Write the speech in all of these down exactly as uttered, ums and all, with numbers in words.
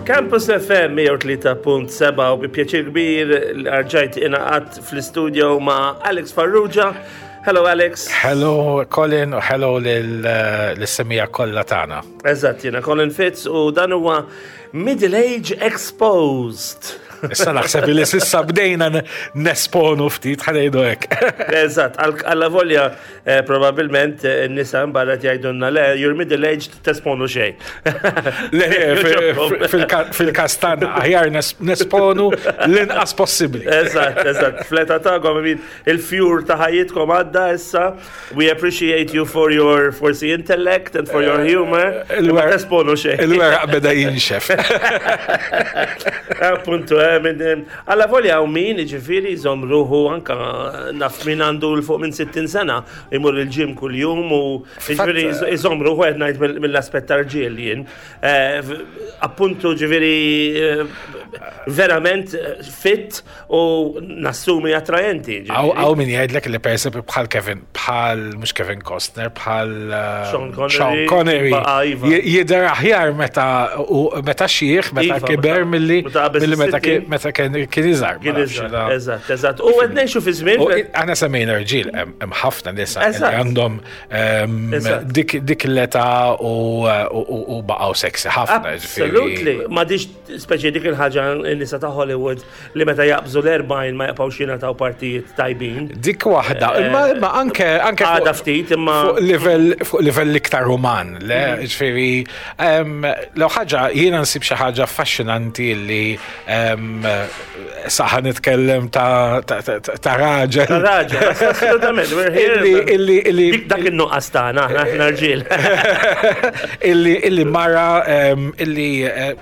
Campus F M mija u tlieta punt sebgħa u bi pjaċir kbir rġajt ingħaqadt fl-studio ma' Alex Farrugia. Hello, Alex. Hello, Colin, u hello lis-semmiegħa kollha tagħna. Eżatt, jiena Colin Fitz u dan huwa Middle Age Exposed. Issa naħseb li s'issa bdejna nesponu ftit, ħa ngħidu hekk. Eżatt, għalla volja eh, probabilment eh, n-nisa barra jgħidulna le, you're middle aged, tesponu xejn. Le, fil-każ tagħna aħjar nesponu l-inqas possibbli. Eżatt, eżatt. Fl-età tagħkom, il-fjur ta' ħajjitkom għadda issa. We appreciate you for your forsi intellect and for your humor. Ma tesponu xejn. Il-weraq beda jinxef. Appuntu, eh, għalla volja u min, ġifiri, jżomm ruħu, anka naf min għandu 'l fuq minn sittin sena, imur il-gym kull jum u ġifiri jżomm ruħu, qed ngħid mill-aspett tal-irġiel jien. Eh, appuntu ġifiri eh, verament fit u nassumi attrajenti. Hawn min jgħidlek li per esempio bħal Kevin, bħal mhux Kevin Costner, bħal Sean Connery, Sean Connery, iva. jidher aħjar meta meta xieħ, meta Iva, kiber milli meta meta kien iżgħar. Kien iżgħar, eżatt, eżatt. U qed ngħixu fi żmien. Aħna semmejna rġiel, hemm ħafna nisa li għandhom dik dik l-età u baqgħu sexy ħafna. Absolutely. Ma diġ speċi dik il-ħaġa n-nisa ta' Hollywood li meta jaqbżu l-erbgħin ma jibqgħux jingħataw partijiet tajbin. Dik waħda, imma imma anke anke Għada ftit imma fuq livell fuq livell iktar uman, le, ġifieri l ħaġa jiena nsib xi ħaġa affaxxinanti li saħa nitkellem ta' ta' raġel. Ta' raġel, assolutament, we're here. Illi illi Dik dak in-nuqqas tagħna, aħna aħna rġiel. illi illi mara illi eh,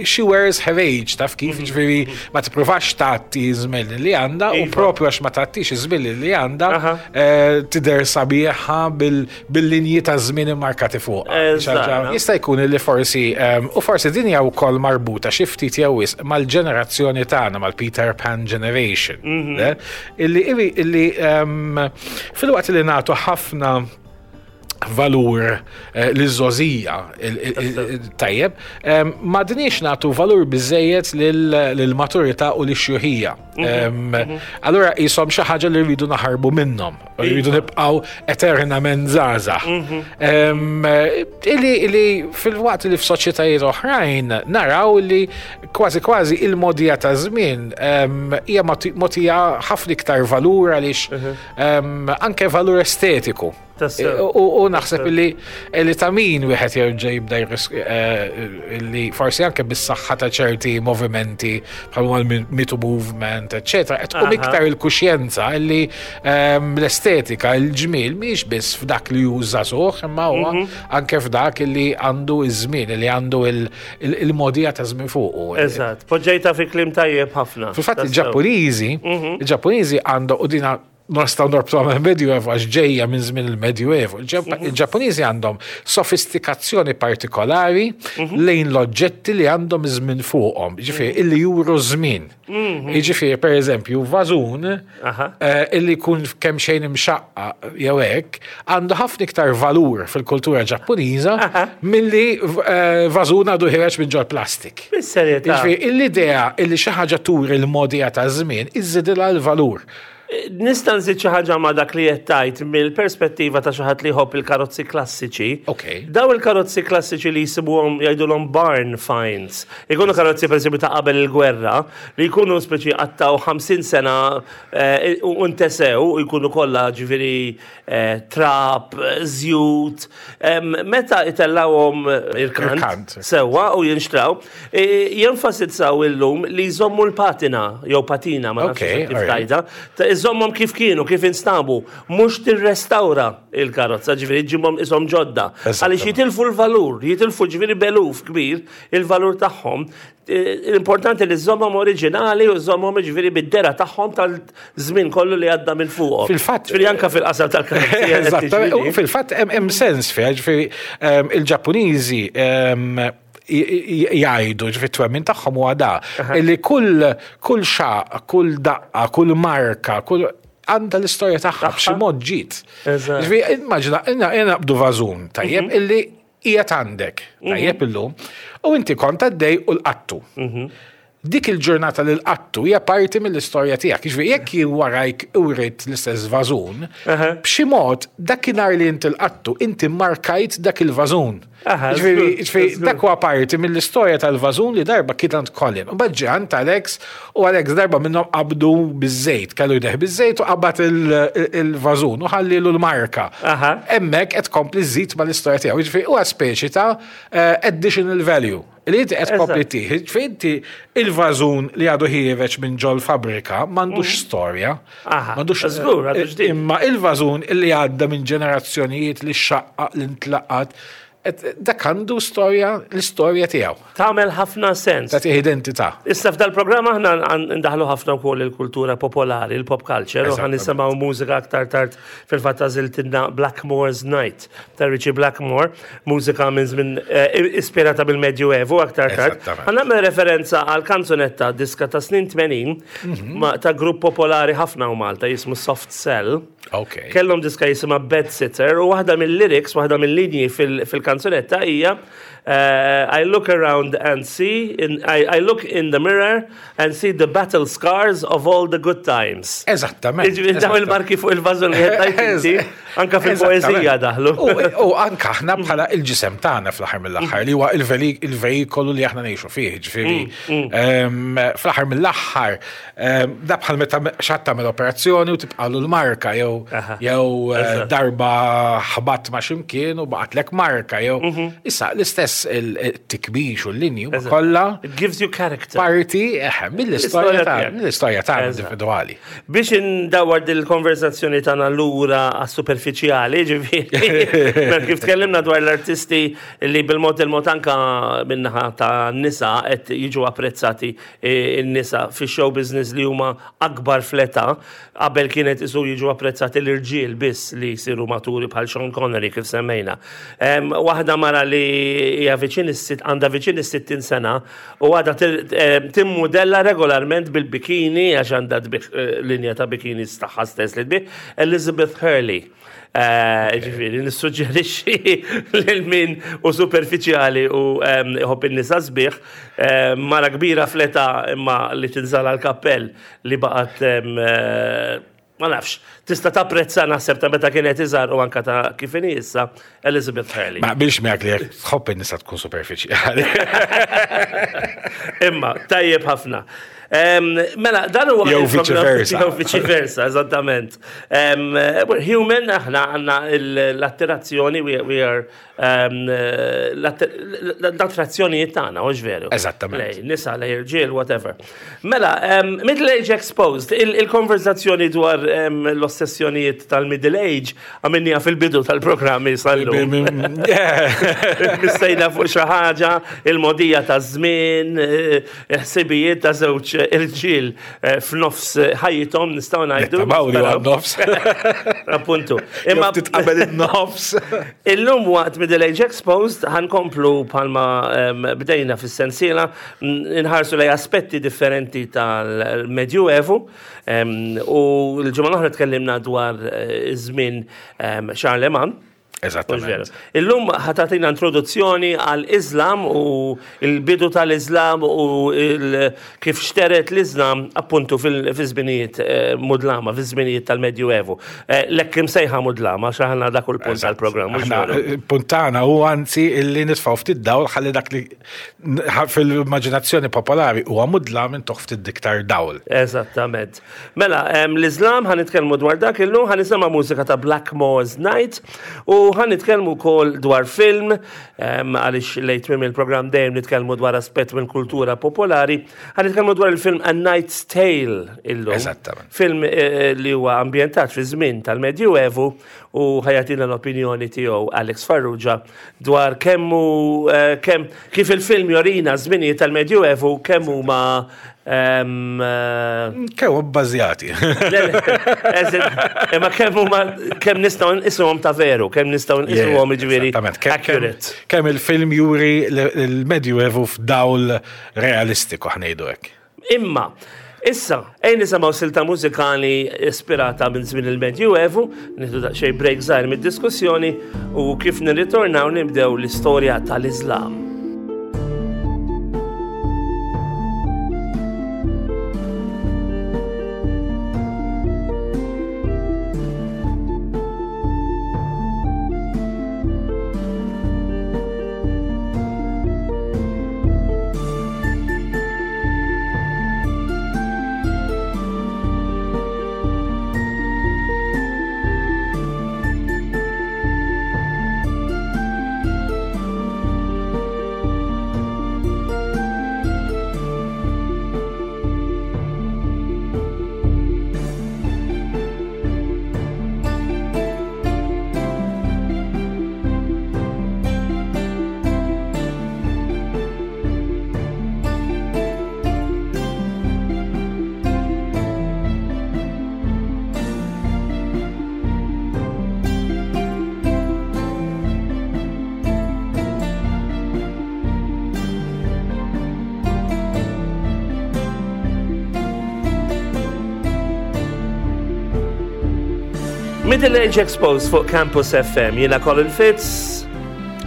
she wears her age, taf kif, ġifieri ma tippruvax tgħatti żmien li għandha u Iva. propju għax ma tgħattix iż-żmien li għandha Aha. eh, tidher sabiħa bil-linji ta' żmien immarkati fuq. Eżatt. Jista' jkun li forsi em, u forsi din hija wkoll marbuta xi ftit jew wisq mal-ġenerazzjoni tagħna, mal-Peter Pan generation. Le? Illi illi illi em, filwaqt li nagħtu ħafna valur eh, liż-żgħożija tajjeb, em, m'għadniex nagħtu valur biżejjed lill-maturità u lix-xjuħija. Em, Allura jisom xi ħaġa li rridu naħarbu minnhom, u rridu nibqgħu eternament żgħażagħ. Em, Illi illi fil-waqt li f'soċjetajiet oħrajn naraw li kważi kważi il-mogħdija ta' żmien em, hija moti- mogħtija ħafna iktar valur għaliex em, anke valur estetiku. Tassew. U u naħseb li li ta' min wieħed jerġa' jibda jris- eh, li forsi anke bis-saħħa ta' ċerti movimenti bħal mal-Me Too movement, eċċetera, qed tqum Aha. iktar il-kuxjenza li ehm, l-estetika, il-ġmiel mhix biss f'dak li hu żagħżugħ, imma huwa anke f'dak li għandu iż-żmien, li għandu il- il- il-mogħdija ta' żmien fuqu. Eżatt, poġġejta fi kliem tajjeb ħafna. Fil-fatt Tassew. il-Ġappuniżi, il-Ġappuniżi għandu u dina nistgħu norbtu għal Medjuevo għax ġejja minn żmien il-Medjuevo. Il-Ġappuniżi għandhom sofistikazzjoni partikolari lejn l-oġġetti li għandhom żmien fuqhom, ġifieri illi juru żmien. Jiġifieri per eżempju, vażun Aha. eh, illi jkun kemm xejn imxaqqa jew hekk, għandu ħafna iktar valur fil-kultura Ġappuniża milli eh, vażun għadu ħiereġ minn ġol plastik. Bis-serjetà. Jiġifieri l-idea illi xi ħaġa turi l-mogħdija ta' żmien iżżidilha l-valur. Nista' nżid xi ħaġa ma' dak li qed tgħid mill-perspettiva ta' xi ħadd li jħobb il-karozzi klassiċi. Ok. Daw il-karozzi klassiċi li jisibuhom jgħidulhom barn finds. Ikunu karozzi pereżempju ta' qabel il-gwerra li jkunu speċi qattaw ħamsin sena eh, u ntesew u jkunu kollha ġifieri eh, trab, żjut. Em, Meta itellawhom irkant Irkant. sewwa u jinxtraw, eh, jenfasizzaw illum li jżommu l-patina jew patina, ma nafx Ok, kif alright. tgħidha, ta' iżommhom kif kienu, kif instabu, mhux tirrestawra il-karozza, ġifieri ġibhom ishom ġodda. Eżattament. Għaliex jitilfu l-valur, jitilfu ġifieri b'eluf kbir il-valur tagħhom. Eh, L-importanti li żommhom oriġinali u żommhom ġifieri bid-dehra tagħhom tal-żmien kollu li għadda minn fuqhom. Fil-fatt- Ġifieri anka fil-qasam tal-karozzi. qed Eżattament. tiġri. U fil-fatt hemm hemm sens fiha, ġifieri ehm, il-Ġappuniżi ehm, j- j- jgħidu, ġifieri twemmin tagħhom huwa da li kull kull xaq, kull daqqa, kull marka, kull għandha l-istorja tagħha b'xi mod ġiet. Eżatt. Ġifieri immaġina, naqbdu vażun tajjeb illi qiegħed għandek, tajjeb, illum, u inti kont għaddej u lqattu. Dik il-ġurnata li lqattu hija parti mill-istorja tiegħek. Jiġifieri jekk jien warajk uriet l-istess vażun, b'xi mod dakinhar li inti lqattu, inti markajt dak il-vażun. Aha, Jiġifieri żgur, jiġifieri żgur. dak huwa parti mill-istorja tal-vażun li darba kien għand Colin. U mbagħad ġie għand Alex u Alex darba minnhom qabdu biż-żejt, kellu jdejh biż-żejt u qabad il- il-vażun u ħallilu l-marka. Aha. Hemmhekk qed tkompli żżid mal-istorja tiegħu. Jiġifieri huwa speċi ta' eh, additional value. Li inti qed tkompli Eżatt. tih. Jiġifieri inti il-vażun li għadu ħiereġ minn ġol fabrika m'għandux storja. Aha, M'għandux żgur, għadu ġdid. Imma il-vażun illi għadda minn ġenerazzjonijiet, li xaqqa, li ntlaqat, et- dak għandu storja, l-istorja tiegħu. Tagħmel ħafna sens. Tagħtih identità. Issa f'dal-programm aħna għan- ndaħlu ħafna wkoll il-kultura popolari, il-pop culture, u ħa Eżattament. nisimgħu mużika aktar tard. Fil-fatt għażiltilna Blackmore's Night ta' Ritchie Blackmore, mużika minn żmien eh, ispirata bil-Medjuevu aktar tard. Eżattament. Ħa nagħmel referenza għal kanzunetta diska ta' snin tmenin ma' ta' grupp popolari ħafna u Malta jismu Soft Cell. Ok. Kellhom diska jisimha Bed Sitter u waħda mill-lyrics, waħda mill-linji fil- fil-kanzunetta hija eh, "I look around and see, in, I, I look in the mirror and see the battle scars of all the good times." Eżattament. Jiġifieri daw il-marki fuq il-vażun li qed inti, anka fil-poeżija daħlu. U u anka aħna bħala il-ġisem tagħna fl-aħħar mill-aħħar li huwa il-veli- il-vejikolu li aħna ngħixu fih, ġifieri ehm, fl-aħħar mill-aħħar ehm, da bħal meta xi ħadd tagħmel operazzjoni u tibqalu l-marka jew Aha. jew eh, Eżatt. darba ħabat ma' ximkien u baqatlek marka jew issa l-istess il-tikbix u l-linji huma Eżatt. kollha It gives you character. parti eh, mill-istorja L-istorja ta' tiegħek. mill-istorja tagħna Eżatt. individwali. Biex indawar dil-konversazzjoni tagħna lura għas-superfiċjali, ġifieri, mela kif tkellimna dwar l-artisti li bil-mod il-mod anka min-naħa ta' nisa qed jiġu apprezzati eh, n-nisa fi show business li huma akbar fl-età, qabel kienet isu jiġu apprezzati l-irġiel biss li jsiru maturi bħal Sean Connery kif semmejna. Em, Waħda mara li hija viċin is-sitt għandha viċin is-sittin sena u għadha tir- em, timmudella regolarment bil-bikini għax għandha tbigħ eh, linja ta' bikinis tagħha stess li tbigħ, Elizabeth Hurley. Eh, Ġifieri, nissuġġerixxi lil min hu superfiċjali u em, iħobb in-nisa sbieħ, eh, mara kbira fl-età imma li tinżala l-kappell li baqgħet em, eh, ma nafx, tista' tapprezza naħseb ta' meta kienet iżgħar u anka ta' kif inhi issa, Elizabeth Hurley. Ma qbilx miegħek li jekk tħobb in-nisa tkun superfiċjali. Imma, tajjeb ħafna. Em, Mela, dan huwa Jew il-programm- vice versa. Jew vice versa, eżattament. Em, We're human, aħna għandna l-attirazzjoni, we, we are um, l-attrazzjonijiet tagħna, hux veru? Eżattament. Lej, nisa, lej irġiel, whatever. Mela, um, Middle Age Exposed, il- il-konverzazzjoni dwar um, l-ossessjonijiet tal-Middle Age għamilniha fil-bidu tal-programmi sal-lum. Missejna fuq xi ħaġa, il-modija ta' żmien, eh, ħsibijiet ta' żewġ irġiel eh, f'nofs ħajjithom, nistgħu ngħidu. Nittamaw li għad nofs. Appuntu. Imma titqabel in-nofs. Illum waqt Middle Age Exposed ħa nkomplu bħalma em, bdejna fis-sensiela n- nħarsu lej aspetti differenti tal-Medjuevu em, u l-ġimgħa l-oħra tkellimna dwar eh, iż-żmien em, Charlemagne. Mhux Eżattament. veru? Illum ħa tagħtina introduzzjoni għal-Islam u il-bidu tal-Islam u il- kif xteret l-Islam appuntu fil-żminijiet eh, mudlama, fil-żminijiet tal-Medjuevu. Eh, L-hekk imsejħa mudlama, xaħna dak il-punt tal-programm. Mhux Aħna, veru? eh, punt tagħna u anzi illi nitfgħu ftit dawl ħalli dak li n- fil-immaġinazzjoni popolari huwa mudlam intuh ftit iktar dawl. Eżattament. Mela, em, l-Islam ħa nitkellmu dwar dak illum, ħa nisimgħu mużika ta' Blackmore's Night u ħa nitkellmu wkoll dwar film, em, għaliex lejn tmiem il-programm dejjem nitkellmu dwar aspett minn kultura popolari, ħa nitkellmu dwar il-film A Knight's Tale illum. Eżattament. Film eh, li huwa ambjentat fi żmien tal-Medjuevu u ħa jagħtina l-opinjoni tiegħu Alex Farrugia dwar kemm hu eh, kemm kif il-film jorina żminijiet tal-Medjuevu kemm huma em, eh, Kemm bbażjati. le, le, eżin, imma kemm huma kemm nistgħu nqisuhom ta' veru, kemm nistgħu nqisuhom, jiġifieri, Eżattament. Kemm- kemm- accurate. Kemm il-film juri l- il-Medjuevu f'dawl realistiku, ħa ngħidu hekk. Imma, Issa, ejja nisimgħu silta mużikali ispirata minn żmien il-Medjuevu, nieħdu daqsxejn break żgħir mid-diskussjoni u kif nirritornaw nibdew l-istorja tal-Islam. Middle Age Exposed fuq Campus F M, jiena Colin Fitz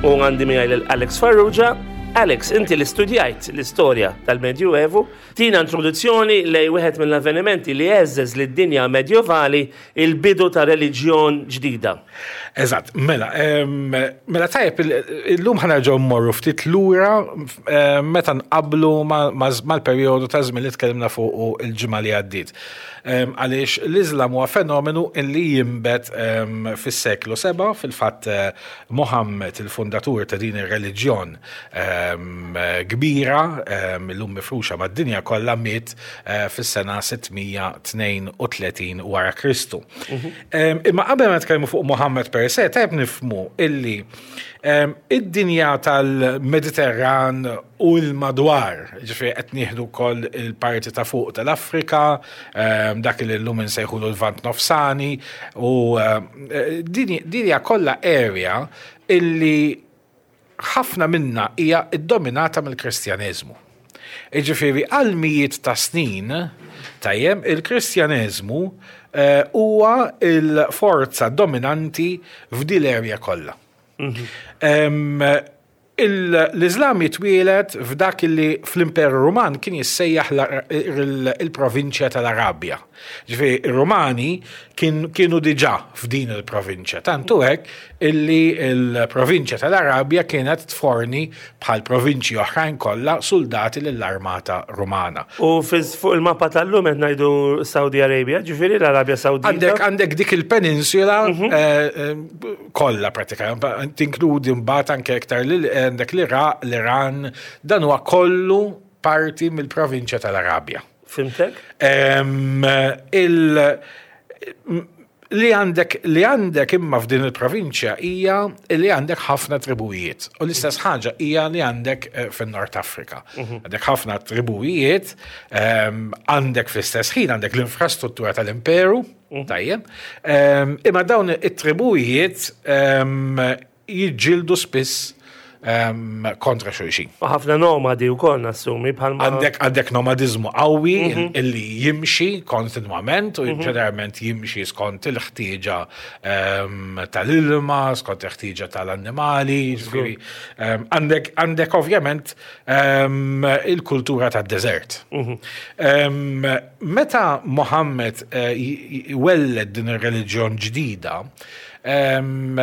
u għandi miegħi lil Alex Farrugia. Alex, inti li studjajt l-istorja tal-Medjuevu, tina introduzzjoni lejn wieħed mill-avvenimenti li heżżeż lid-dinja medjevali, il-bidu ta' reliġjon ġdida. Eżatt, mela, em, mela tajjeb, illum ħa nerġgħu mmorru ftit lura em, meta nqablu mal-perjodu ta' żmien li tkellimna fuq il-ġimgħa li għaddiet. Em, Għaliex l-Iżlam huwa fenomenu illi jinbet em, fis-seklu seba, fil-fatt eh, Muhammad, il-fundatur ta' din ir-reliġjon em, kbira, em, illum mifruxa mad-dinja kollha, miet eh, fis-sena sitt mija tnejn u tletin wara Kristu. Em, Imma qabel ma nitkellmu fuq Muhammad per se, tajb nifhmu illi em, id-dinja tal-Mediterran u l-madwar, ġifieri qed nieħdu wkoll il-parti ta' fuq tal-Afrika, em, dak li llum insejħulu l-Lvant Nofsani, u em, din din hija kollha area illi ħafna minna hija iddominata mill-Kristjaneżmu. Iġifieri għal mijiet ta' snin, tajjem, il-Kristjaneżmu eh, huwa il-forza dominanti f'dil area kollha. Em, il- L-Iżlam jitwielet f'dak li fl-Imperu Ruman kien jissejjaħ la- il- il-provinċja tal-Arabja. Ġifieri, ir-Rumani kien, kienu diġà f'din il-provinċja. Tantu hekk illi il-provinċja tal-Arabja kienet tforni bħal provinċji oħrajn kollha soldati lill-armata Rumana. U fiż- fuq il-mappa tal-lum qed ngħidu Saudi Arabia, ġifieri l-Arabja Sawdita. Għandek għandek dik il-peninsula eh, eh, kollha pratikament, tinkludi mbagħad anke iktar lil għandek l-Iraq, l-Iran, dan huwa kollu parti mill-provinċja tal-Arabja. Fhimtek? Em, il li għandek li għandek imma f'din il-provinċja hija li għandek ħafna tribujiet. U l-istess ħaġa hija li għandek eh, fin-Nord Afrika. Għandek ħafna tribujiet, em, għandek fl-istess ħin għandek l-infrastruttura tal-imperu, tajjeb. Em, Imma dawn it-tribujiet em, jiġġieldu spiss em, kontra xulxin. U ħafna nomadi wkoll nassumi bħalma. Għandek għandek nomadizmu qawwi illi jimxi kontinwament u ġeneralment jimxi skont il-ħtieġa em, tal-ilma, skont il-ħtieġa tal-annimali, ġifieri, em, għandek għandek ovvjament em, il-kultura tad-deżert. Em, Meta Mohammed eh, j- j- welled din ir-reliġjon ġdida, em,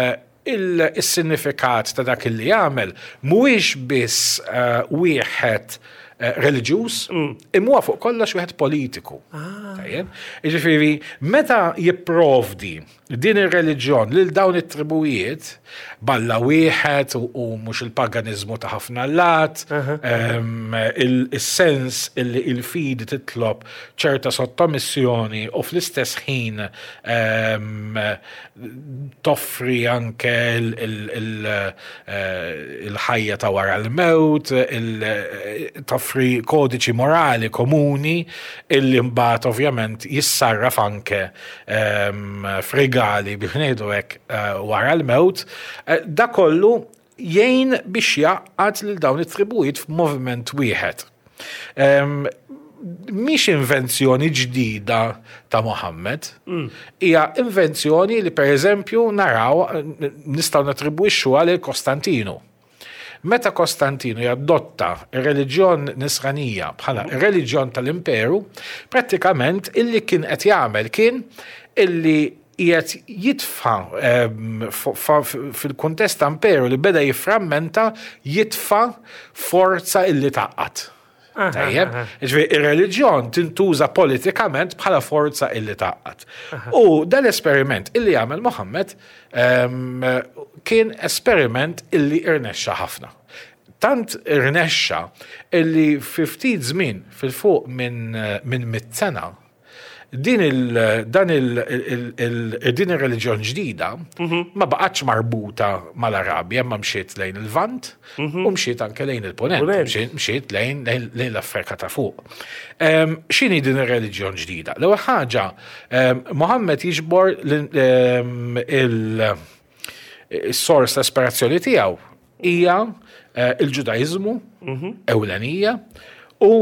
il-sinifikat ta' dak li jagħmel mhuwiex biss eh, wieħed eh, reliġjuż, imma huwa fuq kollox wieħed politiku. Tajjeb? Jiġifieri, meta jipprovdi din ir-reliġjon lil dawn it-tribujiet, b'Alla wieħed u, u mhux il-paganiżmu ta' ħafna allat, em, il- il-sens illi il-fidi titlob ċerta sottomissjoni u fl-istess ħin em, toffri anke il- il- il- eh, il-ħajja ta' wara l-mewt, il- toffri kodiċi morali komuni illi mbagħad ovvjament jissarraf anke em, f'regali biex ngħidu hekk eh, wara l-mewt. Eh, Da kollu jgħin biex jgħaqqad lil dawn it-tribujiet f'moviment wieħed. Em, Mhix invenzjoni ġdida ta' Mohammed, hija invenzjoni li per eżempju naraw nistgħu natribwixxu għal Kostantinu. Meta Kostantinu jadotta ir-reliġjon nisranija bħala ir-reliġjon tal-imperu, prattikament illi kien qed jagħmel kien illi qiegħed jitfa' ehm, fil-kuntest ta' imperu li beda jifframmenta, jitfa' forza illi tgħaqqad. Tajjeb, ġifieri ir-reliġjon tintuża politikament bħala forza illi tgħaqqad. U dal-esperiment illi għamel Mohammed ehm, kien esperiment illi irnexxa ħafna. Tant irnexxa illi fi ftit żmien fil-fuq minn min mitt sena din il dan il, il, il, din ir-reliġjon ġdida ma baqgħetx marbuta mal-Arabja, ma mxiet lejn il-Lvant u mxiet anke lejn il-Ponent, Ponent. mxiet- mxiet lejn lejn lejn l-Afrika ta' fuq. Em, X'inhi din ir-reliġjon ġdida? L-ewwel ħaġa, em, Mohammed jiġbor l- em, il- is-sors ta' ispirazzjoni tiegħu hija eh, il-Ġudaiżmu ewlenija u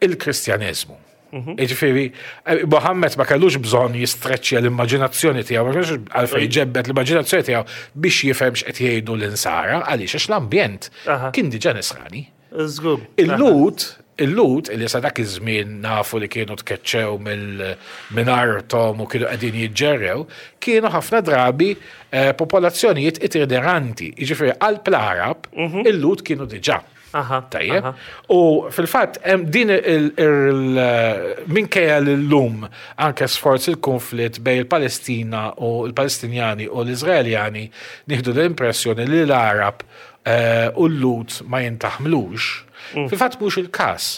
il-Kristjaneżmu. Jiġifieri, eh, Mohammed ma kellux bżonn jistreċċja l-immaġinazzjoni tiegħu, ma kellux għalfejn jġebbed l-immaġinazzjoni tiegħu biex jifhem x'qed jgħidu l-insara, għaliex għax l-ambjent Aha. kien diġà nisrani. Żgur. Il-Lhud, il-Lhud, illi sa dak iż-żmien nafu li kienu tkeċċew mill- minn arthom u kienu qegħdin jiġġerrew, kienu ħafna drabi eh, popolazzjonijiet itineranti. Jiġifieri qalb l-Arab, il-Lhud kienu diġà. Aha, Tajjeb. aha. U fil-fatt, hemm din il- il- minkejja l-lum anke sforz il-konflitt bejn il-Palestina u l-Palestinjani u l-Izraeljani nieħdu l-impressjoni li l-Arab eh, u l-Lhud ma jintaħmlux. Fil-fatt mhux il-każ.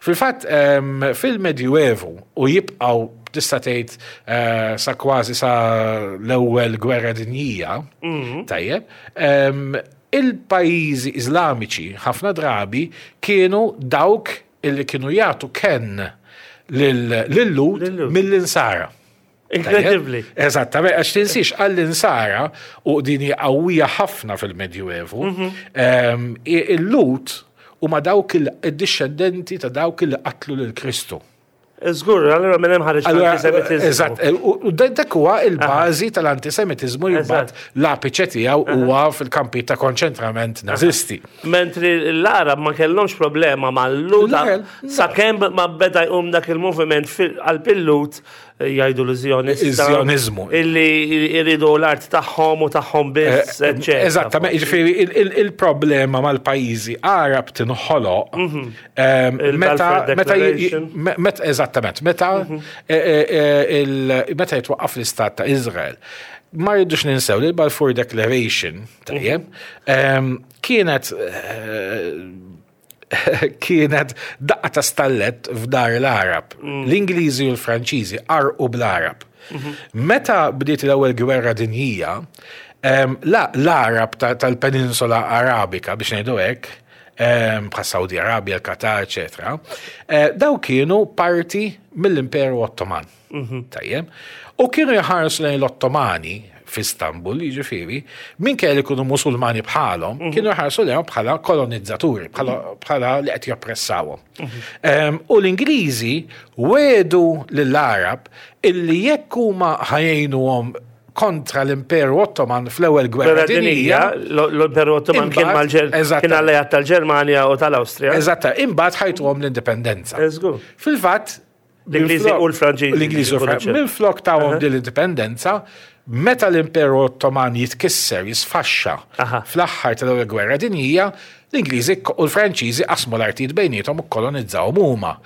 Fil-fatt em, fil-Medjuevu u jibqgħu tista' tgħid eh, sa kważi sa l-ewwel gwerra dinjija, tajjeb, em, il-pajjiżi Iżlamiċi ħafna drabi kienu dawk illi kienu jagħtu kenn lil-Lhud Lil-Lhud. mill-insara. Inkredibbli. Eżattament, għax tinsix għall-insara u din hija qawwija ħafna fil-Medjuevu, em, i- il-Lhud huma dawk il-discendenti ta' dawk il qatlu lil Kristu. Żgur, allura minn hemm ħareġ Allura, l-antisemitiżmu. Eżatt, u u dak huwa il-bażi tal-antisemitiżmu li mbagħad l-apiċe tiegħu huwa fil-kampi ta' konċentrament nazisti. Mentri l-Arab ma kellhomx problema mal-Lhud Le, sakemm ma beda jqum dak il-moviment għal-Lhud jgħidu l-Zjonista. Iż-Zjonizmu. Illi jridu l-art tagħhom u tagħhom biss, eċċetera. Eżattament, jiġifieri il- il- il-problema mal-pajjiżi Arab tinħoloq em, meta Il-Balfour meta j- Declaration. me- meta eżattament, meta eh, eh, il- meta jitwaqqaf l-istat ta' Izrael. Ma rridux ninsew li l-Balfour Declaration, tajjeb, em, kienet eh, kienet daqqa ta' stallet f'dar l-Arab. L-Ingliżi u l-Franċiżi qarqu bl-Arab. Meta bdiet l-ewwel gwerra dinjija, em, la l-Arab ta- tal-Peninsula Arabika biex ngħidu hekk, em, bħal Saudi Arabia, l-Qatar, eċetera, eh, daw kienu parti mill-Imperu Ottoman. Tajjeb. U kienu jħarsu lejn l-Ottomani f'Istanbul, jiġifieri, minkejja li kienu musulmani bħalhom, kienu jħarsu lejhom bħala kolonizzaturi, bħala bħala li qed joppressawhom. Em, U l-Ingliżi wedu lill-Arab illi jekk huma ħa jgħinuhom kontra l-Imperu Ottoman fl-ewwel gwerra Gwerra dinjija, dinjija, l-Imperu Ottoman kien Imbagħad- mal-Ġer- eżatt. kien alleat tal-Ġermanja u tal-Awstrija. eżatta, imbagħad ħa jtuhom l-indipendenza. Żgur. Fil-fatt, L-Ingliżi minflok- u l-Franċiżi. L-Ingliżi u l-Franċiżi. Minflok tawhom din l-indipendenza, meta l-Imperu Ottoman jitkisser, jisfaxxa Aha. fl-aħħar tal-ewwel gwerra dinjija, l-Ingliżi u l-Franċiżi qasmu l-artijiet bejniethom u kolonizzawhom huma.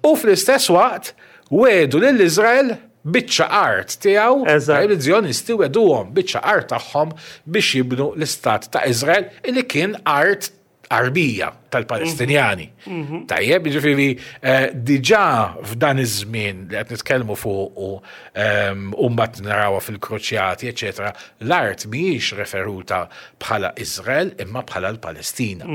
U fl-istess waqt wedu lil Iżrael biċċa art tiegħu, Eżatt. il-Zjonisti weduhom biċċa art tagħhom biex jibnu l-istat ta' Iżrael illi kien art Arbija tal-Palestinjani. Tajjeb, jiġifieri eh, diġà f'dan iż-żmien li qed nitkellmu fuq u ehm, u mbagħad narawha fil-kruċjati, eċetera, l-art mhijiex referuta bħala Iżrael imma bħala l-Palestina.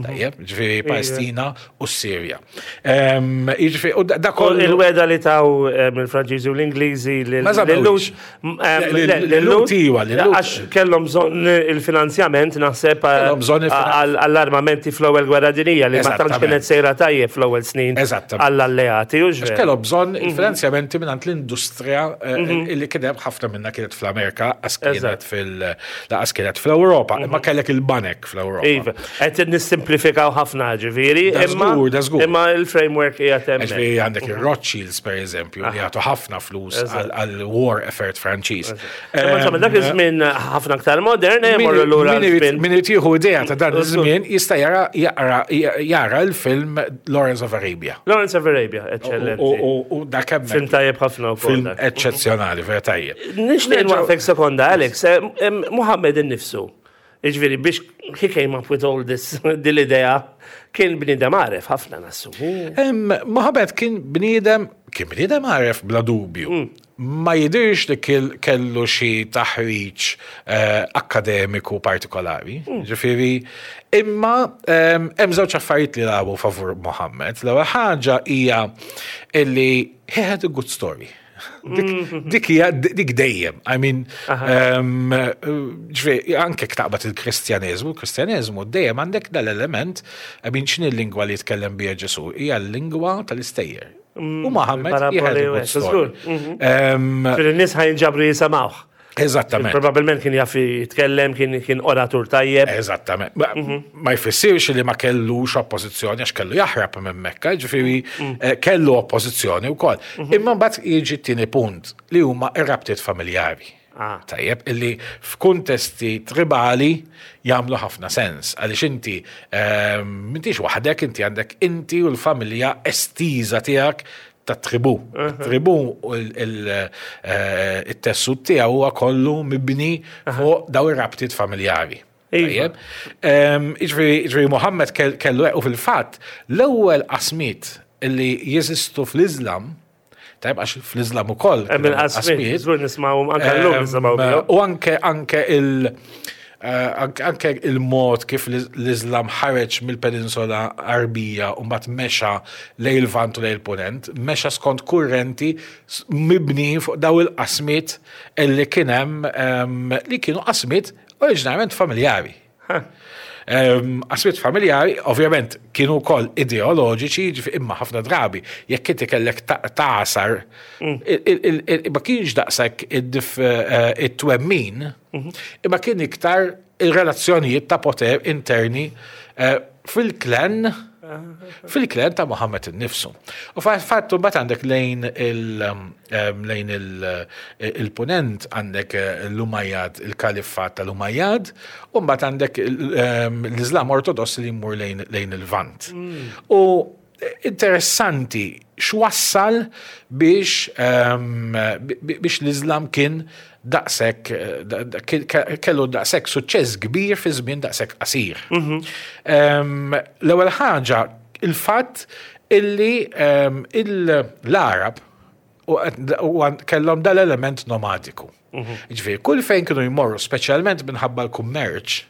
Tajjeb, jiġifieri Palestina u Sirja. Ehm, Jiġifieri u da da U kollu Il-weda li taw eh, mill-Franċiżi u l-Ingliżi Ma żammewhiex. Le, lil-Lhud iwa, lil-Lhud. Għax kellhom bżonn il-finanzjament naħseb eh, Kellhom bżonn il-finan- għall- għall-armamenti fl-ewwel Gwerra Dinjija li ma tantx Eżattament. kienet sejra tajjeb fl-ewwel snin Eżattament. għall-alleati, u Għax kellu bżonn il-finanzjamenti minn l-industrija eh, illi kien hemm ħafna minna kienet fl-Amerika, għax kienet Eżatt. fil- laqas kienet fl-Ewropa, imma kellek il-banek fl-Ewropa. Iva, qed nissimplifikaw ħafna, ġifieri, Da imma żgur, da żgur. imma il-framework hija hemmhekk. Ġifieri għandek il-Rothschilds, per eżempju, li jagħtu ħafna flus Eżatt. għal-war effort Franċiż. Imma insomma, dak iż-żmien ħafna aktar modern, eh, morru lura Min irid żmien. min irid jieħu idea ta' dan Żgur. iż-żmien jista' jara jaqra jara l-film Lawrence of Arabia. Lawrence of Arabia, U- eccellenti. U u dak hemmhekk Film tajjeb ħafna wkoll film dak. eċċezzjonali, vera tajjeb. Nixtieq nwaqfek sekonda, Alex. Eh, em, Muhammad innifsu. Ġifieri, biex he came up with all this dil-idea, kien bniedem għaref ħafna nassu. Em, Mohammed kien bniedem, kien bniedem għaref bla dubju. Ma jidirx li kiel- kellu xi taħriġ eh, akademiku partikolari. Ġifieri, imma em, hemm żewġ affarijiet li lagħbu favur Mohammed. L-ewwel ħaġa hija illi he had a good story. Dik dik hija dik dejjem. I mean, um, ġifieri, anke taqbad il-Kristjaneżmu, il-Kristjaneżmu dejjem għandek dal-element, I mean, x'inhi l-lingwa li jitkellem biha Ġesu? Hija l-lingwa tal-istejjer. U Mohammed he had a paraboli good u hekk, story. Um, Ġifieri, n-nies ħa jinġabru jisimgħuh. Eżattament. Probabilment kien jaf jitkellem, kien kien oratur tajjeb. Eżattament. Ma, ma jfissirx li ma kellux oppożizzjoni għax kellu jaħrab minn Mekka, ġifieri eh, kellu oppożizzjoni wkoll. Imma mbagħad jiġi t-tieni punt li huma ir-rabtiet familjari. Ah. Tajjeb, illi f'kuntesti tribali jagħmlu ħafna sens, għaliex inti ehm, m'intix waħdek, inti għandek inti u l-familja estiża tiegħek ta' tribu. Tribu u l- il- eh, it-tessut tiegħu huwa kollu mibni fuq daw ir-rabtiet familjari. Iva. Tajjeb. Ehm, Ġifieri ġifieri Muhammad kell- kellu u fil-fatt l-ewwel qasmiet illi jeżistu fl-Islam, tajjeb, għax fl-Islam ukoll Hemm kien hemm il-qasmiet, żgur nismgħu anke llum Ehm, nisimgħu bihom. U anke anke il- eh, anke anke il-mod kif l- l-Islam ħareġ mill-peninsula Arbija u mbagħad mexa lejn il-Lvant u lejn il-Punent, mexa skont kurrenti s- mibni fuq daw il-qasmiet illi kien hemm ehm, li kienu qasmiet oriġinarjament familjari. Ehm, Qasmiet familjari, ovvjament, kienu wkoll ideoloġiċi, ġifi imma ħafna drabi, jekk inti kellek ta- tagħsar, il- il- il- ma kienx daqshekk id-dif- eh, it-twemmin, imma kien iktar il-relazzjonijiet ta' poter interni eh, fil-klan fil-klan ta' Muhammad innifsu. U fattu mbagħad għandek lejn il- em, lejn il- il-punent għandek eh, l-Umayyad, il-kalifat tal-Umayyad, u mbagħad għandek il- em, l-Islam Ortodoss li jmur lejn lejn il-Lvant. U interessanti x'wassal biex em, bi- biex l-Islam kien daqshekk eh, da- da- ke- ke- kellu daqshekk suċċess kbir fi żmien daqshekk qasir. Em, L-ewwel ħaġa il-fatt illi em, il- l-Arab u u kellhom dal-element nomadiku. Ġifieri, kull fejn kienu jmorru, speċjalment minħabba l-kummerċ,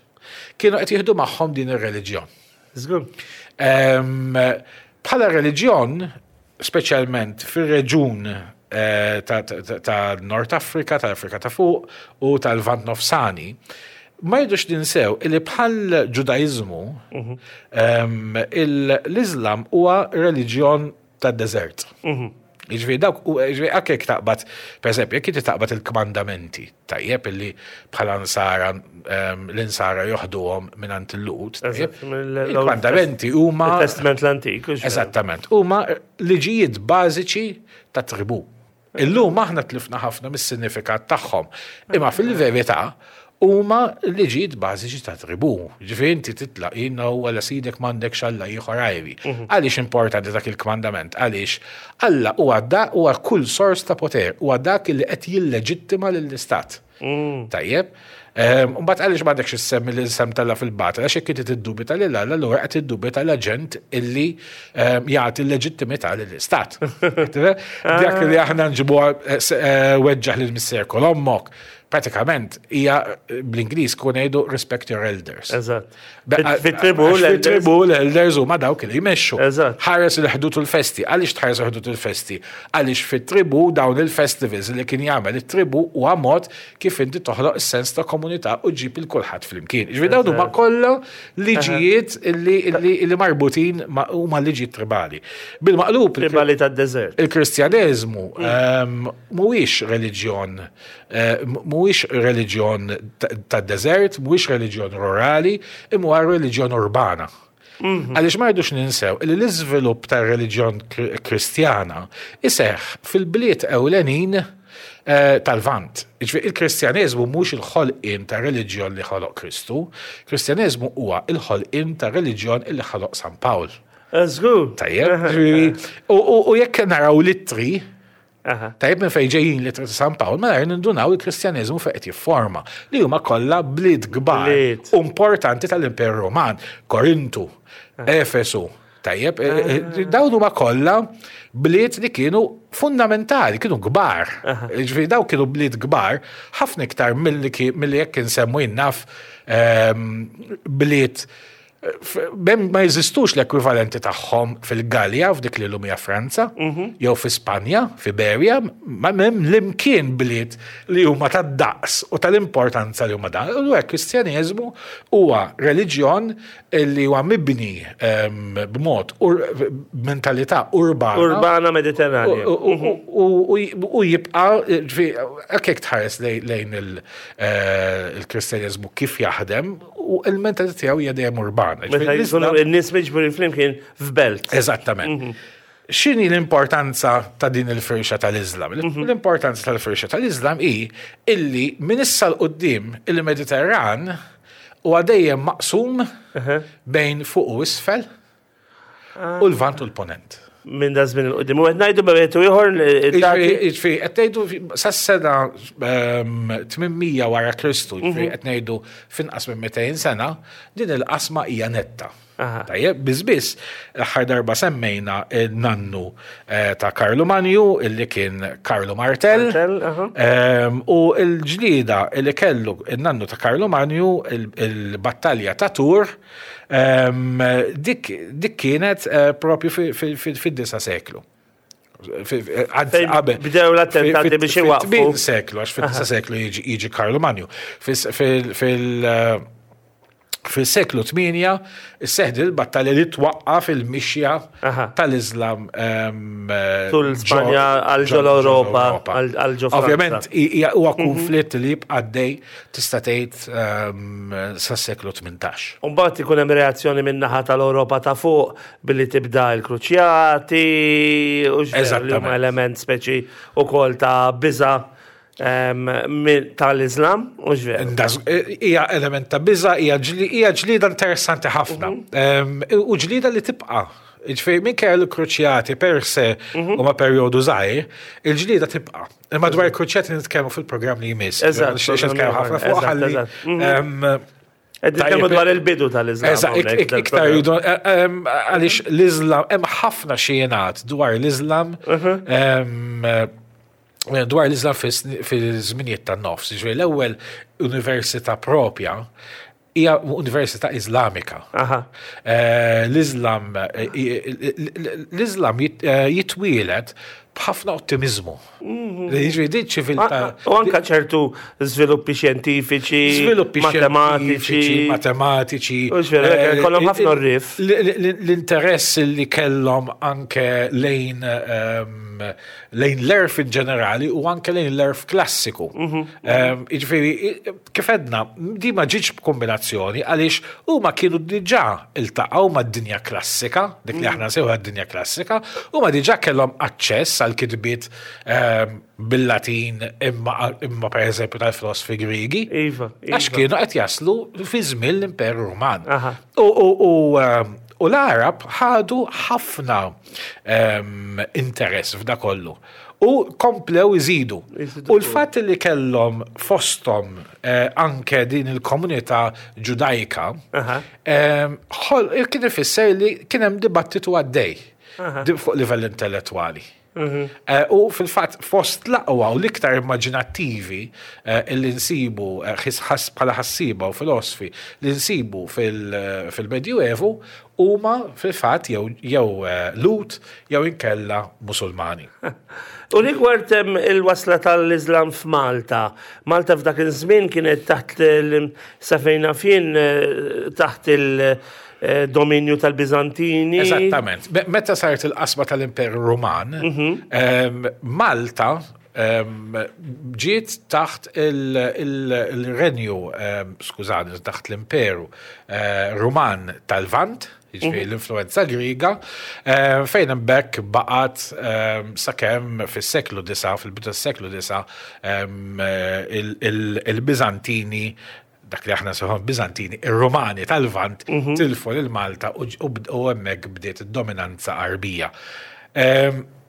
kienu qed jieħdu magħhom din ir-reliġjon. Żgur. Em, Bħala reliġjon, speċjalment fir-reġun eh, ta' ta- ta' Nord Afrika, tal-Afrika ta' fuq u tal-Lvant Nofsani, ma jridux ninsew illi bħal ġudaizmu em, il- l-Islam huwa reliġjon tad-deżert. Jiġifieri dawk u jiġifieri anke jekk taqbad, per eżempju, jekk inti taqbad il-kmandamenti, tajjeb illi bħala nsara em, l-insara joħduhom minn il-Lhud, tajjeb, Eżatt, mill- il-kmandamenti huma Il-Testament l-Antik. u x'veru. Eżattament, huma liġijiet bażiċi ta' tribu. Illum aħna tlifna ħafna mis-sinifikat tagħhom. Imma fil-verità huma liġijiet bażiċi ta' tribu. Ġifieri inti titlaq jiena u għala sidek m'għandekx Alla ieħor għajri. Għaliex importanti dak il-kmandament? Għaliex Alla huwa da huwa kull sors ta' poter, huwa dak li qed jilleġittima lill-istat. Tajjeb. Mbagħad għaliex m'għandekx issemmi l-isem t'Alla fil-batil, għax jekk inti tiddubita lil Alla, allura qed tiddubita l-aġent illi ehm, jagħti l-leġittimità lill-istat. Dak li aħna nġibuha eh, weġġaħ lil missierek u ommok. Pratikament hija bl-Ingliż kun ngħidu "respect your elders". Eżatt. Fit-tribu l-elders. L-elders huma dawk li jmexxu. Eżatt. Ħares il-ħdud u l-festi. Għaliex tħares il-ħdud u l-festi? Għaliex fit-tribu dawn il-festivals li kien jagħmel it-tribu huwa mod kif inti toħloq is-sens ta' komunità u ġib il kulħadd flimkien. Ġifieri dawn huma kollha liġijiet li li marbutin huma liġijiet tribali. Bil-maqlub Tribali tad-deżert. Il-Kristjaneżmu ehm, mhuwiex reliġjon eh, mhuwiex reliġjon tad-deżert, mhuwiex reliġjon rurali, imma huwa reliġjon urbana. Għaliex ma rridux ninsew li l-iżvilupp tar-reliġjon Kristjana iseħħ fil-bliet ewlenin eh, tal-Lvant. Jiġifieri il-Kristjaneżmu mhux il-ħolqien ta' reliġjon li ħoloq Kristu, Kristjaneżmu huwa il-ħolqien ta' reliġjon li ħoloq San Pawl. Żgur. Tajjeb, u jekk naraw l-ittri, tajjeb, minn fejn ġejjin l-ittri ta' San Pawl, mela nindunaw il-Kristjaneżmu fejn qed jifforma, li huma kollha bliet kbar importanti tal-Imperu Roman, Korintu, Efesu, tajjeb, dawn huma kollha bliet li kienu fundamentali, kienu kbar. Ġifieri daw kienu bliet kbar, ħafna iktar milli jekk insemmu jinnaf bliet bem ma jeżistux l-ekwivalenti tagħhom fil-Galja, f'dik li llum hija Franza, jew fi Spanja, fi Iberja, ma m'hemm l-imkien bliet li huma tad-daqs u tal-importanza li huma dan. U hekk Kristjaneżmu huwa reliġjon li huwa mibni b'mod mentalità urbana. Urbana Mediterranja. U jibqa' hekk tħares lejn il-Kristjaneżmu kif jaħdem u il-mentalità tiegħu hija dejjem urbana. Meta jkunu n-nies miġburin flimkien f'belt. Eżattament. X'inhi l-importanza ta' din il-firxa tal-Islam? L-importanza tal-firxa tal-Islam hi illi minn issa 'l quddiem il-Mediterran huwa dejjem maqsum bejn fuq u isfel u l-Lvant u l-Ponent. Minn da żmien 'il quddiem. U qed ngħidu bejn ieħor. Ġifieri qed ngħidu sas-sena tmien mija wara Kristu, ġifieri qed ngħidu finqas minn mitejn sena, din il-qasma hija netta. Tajjeb, biss l-aħħar darba semmejna nannu ta' Karlu Manju, illi kien Karlu Martel, u l-ġlida illi kellu il-nannu ta' Karlu Manju, il-battalja ta' Tur, dik kienet propju fid-disa' seklu. Bdew l-attentati biex iwaqfu. Seklu, għax fid-disa' seklu jiġi Karlu Manju. Fil- Fil-seklu tmienja, isseħħ il-battalja li twaqqaf il-mixja tal-Islam. Tul Spanja għal ġol Europa, għal ġo Ovvjament, huwa konflitt li jibqa' għaddej tista' tgħid sas-seklu tmintax. Umbagħad ikun hemm reazzjoni min-naħa tal-Ewropa ta' fuq billi tibda l-kruċjati u li huma element speċi ukoll ta' biża' tal-Islam, u veru? Hija element ta' biża, hija ġlida interessanti ħafna. U ġlida li tibqa'. Ġifieri minkejja l-kruċjati per se huma perjodu żgħir, il-ġlida tibqa'. Imma dwar il-kruċjati nitkellmu fil-programm li jmiss. Eżatt. Nitkellmu ħafna fuq ħalli. Nitkellmu dwar il-bidu tal-Islam. Eżatt, iktar jidu għaliex l-Islam hemm ħafna xjenat dwar l-Islam dwar l-Islam fil-żminijiet tan-nofs. Ġifieri l-ewwel università propja hija università Islamika. L-Islam l-Islam jitwielet b'ħafna ottimizmu. Jiġifieri din ċiviltà. U anka ċertu żviluppi xjentifiċi, żviluppi matematiċi, matematiċi. Kollhom ħafna rif. L-interess li kellhom anke lejn lejn l-għerf in ġenerali u anke lejn l-għerf klassiku. Jiġifieri, kif għedna, di ma ġietx b'kombinazzjoni għaliex huma kienu diġà iltaqgħu mad-dinja klassika, dik li aħna nsejħu d-dinja klassika, huma diġà kellhom aċċess għal kitbiet bil-Latin imma imma per eżempju tal-filosfi Grigi. Iva. Għax kienu qed jaslu fi żmien l-Imperu Ruman. U u l-Arab ħadu ħafna interess f'da kollu. U komplew iżidu. U l-fatt li kellhom fosthom anke din il-komunità ġudajka, kien ifisser li kien hemm dibattitu għaddej. Fuq livell intellettwali. Eh, u fil-fatt fost l-aqwa u l-iktar immaġinattivi eh, illi nsibu eh, bħala ħassiba u filosofi li nsibu fil-Medjuevu huma fil-fatt jew Lhud jew inkella Musulmani. U rigward il-wasla tal-Islam f'Malta, Malta f'dak iż-żmien kienet taħt safejna fien taħt il- Eh, dominju tal-Bizantini. Eżattament. Meta saret il-qasma tal-Imperu Ruman, mhm. Malta ġiet taħt il-renju, skużani, taħt l-Imperu eh, Ruman tal-Lvant, jiġifieri mhm. l-influenza Griega, fejn hemmhekk baqgħet sakemm fis-seklu disa, fil-bidu tas-seklu disa, il-Bizantini, dak li aħna nsejħu Bizantini, ir-Romani tal-Lvant mhm. tilfu lil Malta u hemmhekk bdiet id-dominanza Arbija.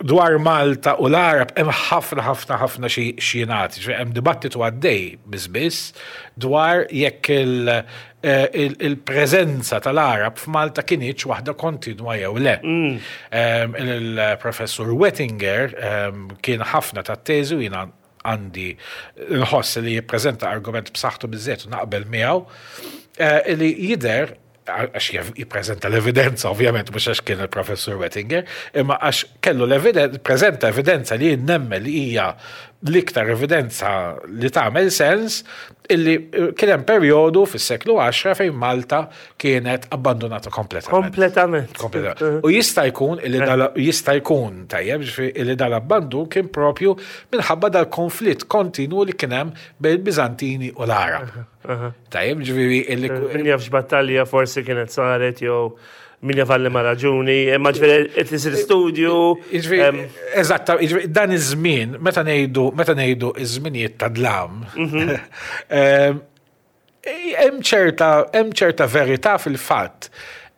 Dwar Malta u l-Arab hemm ħafna ħafna ħafna xi xjenati, hemm dibattitu għaddej biss dwar jekk eh, il-preżenza tal-Arab f'Malta kinitx waħda kontinwa jew le. Mm. Il-professur Wettinger kien ħafna tat-teżi u jiena għandi nħoss li jippreżenta argument b'saħħtu biżżejjed u naqbel miegħu eh, li jidher, għax jippreżenta l-evidenza, ovvjament, mhux għax kien il-professur Wettinger, imma għax kellu l-evidenza, preżenta evidenza li nemmen li hija l-iktar evidenza li tagħmel sens, illi eh, kien hemm perjodu fis-seklu għaxra fejn Malta kienet abbandonata kompletament. Kompletament. Kompletament. U jista' jkun illi dal jista' jkun tajjeb ġifieri illi dal-abbandun kien propju minħabba dal-konflitt kontinu li kien hemm bejn il-Bizantini u l-Arab. Tajjeb, ġifieri illi Min jaf x'battalja forsi kienet saret jew min jaf għal liema raġuni, imma ġifieri qed isir studju. Jiġifieri, eżatt, jiġifieri, dan iż-żmien, meta ngħidu meta ngħidu iż-żminijiet ta' dlam, em, hemm ċerta hemm ċerta verità fil-fatt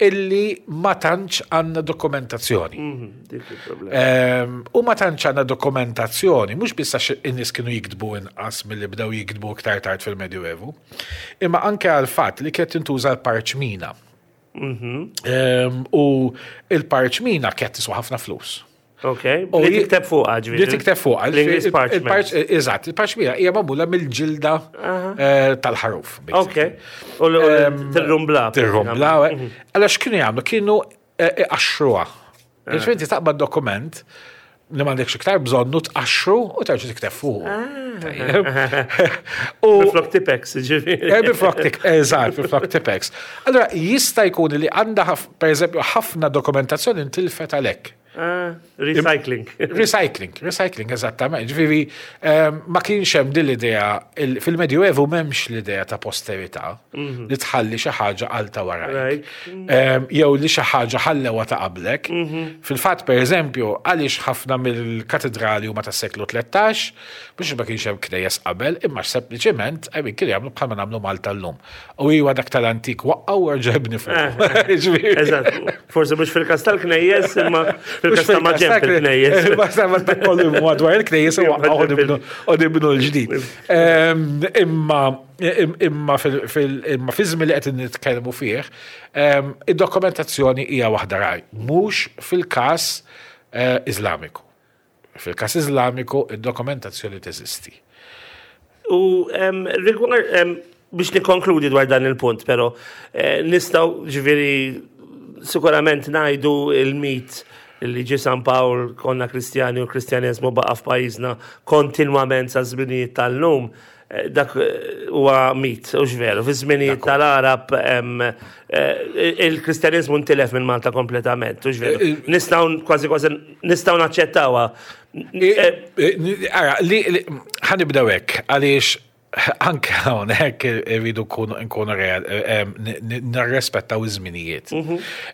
illi ma tantx għandna dokumentazzjoni. Mhm, dik il-problema. Em, U ma tantx għandna dokumentazzjoni, mhux biss għax in-nies kienu jiktbu inqas milli bdew jiktbu iktar tard fil-Medjuevu, imma anke għal fatt li kienet tintuża l-parċmina. Em, U il-parċmina kienet tiswa ħafna flus. Ok, U li ji- tikteb fuqha ġifieri. Li tikteb fuqha. L-English parchment. Eżatt, il-parċmina hija magħmula mill-ġilda eh, tal-ħaruf. Ok. U tirrumbla. Tirrumbla. Allora x'kienu jagħmlu? Kienu eh, iqaxxruha. Ġifieri inti taqbad dokument li m'għandekx iktar bżonnu, tqaxxru u terġa' tikteb fuq. Tajjeb. U Flok Tipp-Ex, ġifieri. Eh, Biflok tik, eżatt, biflok Tipp-Ex. Allora, jista' jkun li għandha, per eżempju, ħafna dokumentazzjoni ntilfet għalhekk. Ah, recycling. Recycling, recycling, eżattament. Ġifieri, ehm, ma kienx hemm din l-idea, il- fil-Medjuevu m'hemmx l-idea ta' posterità li tħalli xi ħaġa għal ta' warajk. Right. Ehm, Jew li xi ħaġa ħallewa ta' qablek. Fil-fatt, per eżempju, għaliex ħafna mill-katedrali huma tas-seklu tlettax, biex ma kienx hemm knejjes qabel, imma sempliċement I mean, kienu jagħmlu bħalma nagħmlu Malta llum. U iwa dak tal-antik waqqgħu u erġa' ibni fuq. Ġifieri- Eżatt. Forse mhux fil-kas tal-knejjes, imma fil-kas ta' maġenb il-knejjes. Ma ma ta' kollu madwar il-knejjes u waqqgħu u nibnu l-ġdid. Ehm, Imma imma fil- imma fi żmien li qed nitkellmu fih, ehm, id-dokumentazzjoni hija waħda rari, mhux fil-każ eh, Iżlamiku. Fil-każ Iżlamiku id-dokumentazzjoni teżisti. U em, rigward, em, biex nikkonkludi dwar dan il-punt, pero eh, nistgħu ġifieri sikurament ngħidu il-mit li ġi San Pawl konna Kristjani u Kristjaneżmu baqa' f'pajjiżna kontinwament sa żminijiet tal-lum. eh, Dak eh, huwa mit, u veru. Fi żminijiet tal-Arab em, eh, il-Kristjaneżmu ntilef minn Malta kompletament, u veru. Nistgħu kważi kważi nistgħu naċċettawha. Eh, Ara, li, li- ħa nibdew hekk, għaliex anke hawnhekk irridu nkunu nkunu real, eh, n- n- nirrispettaw iż-żminijiet.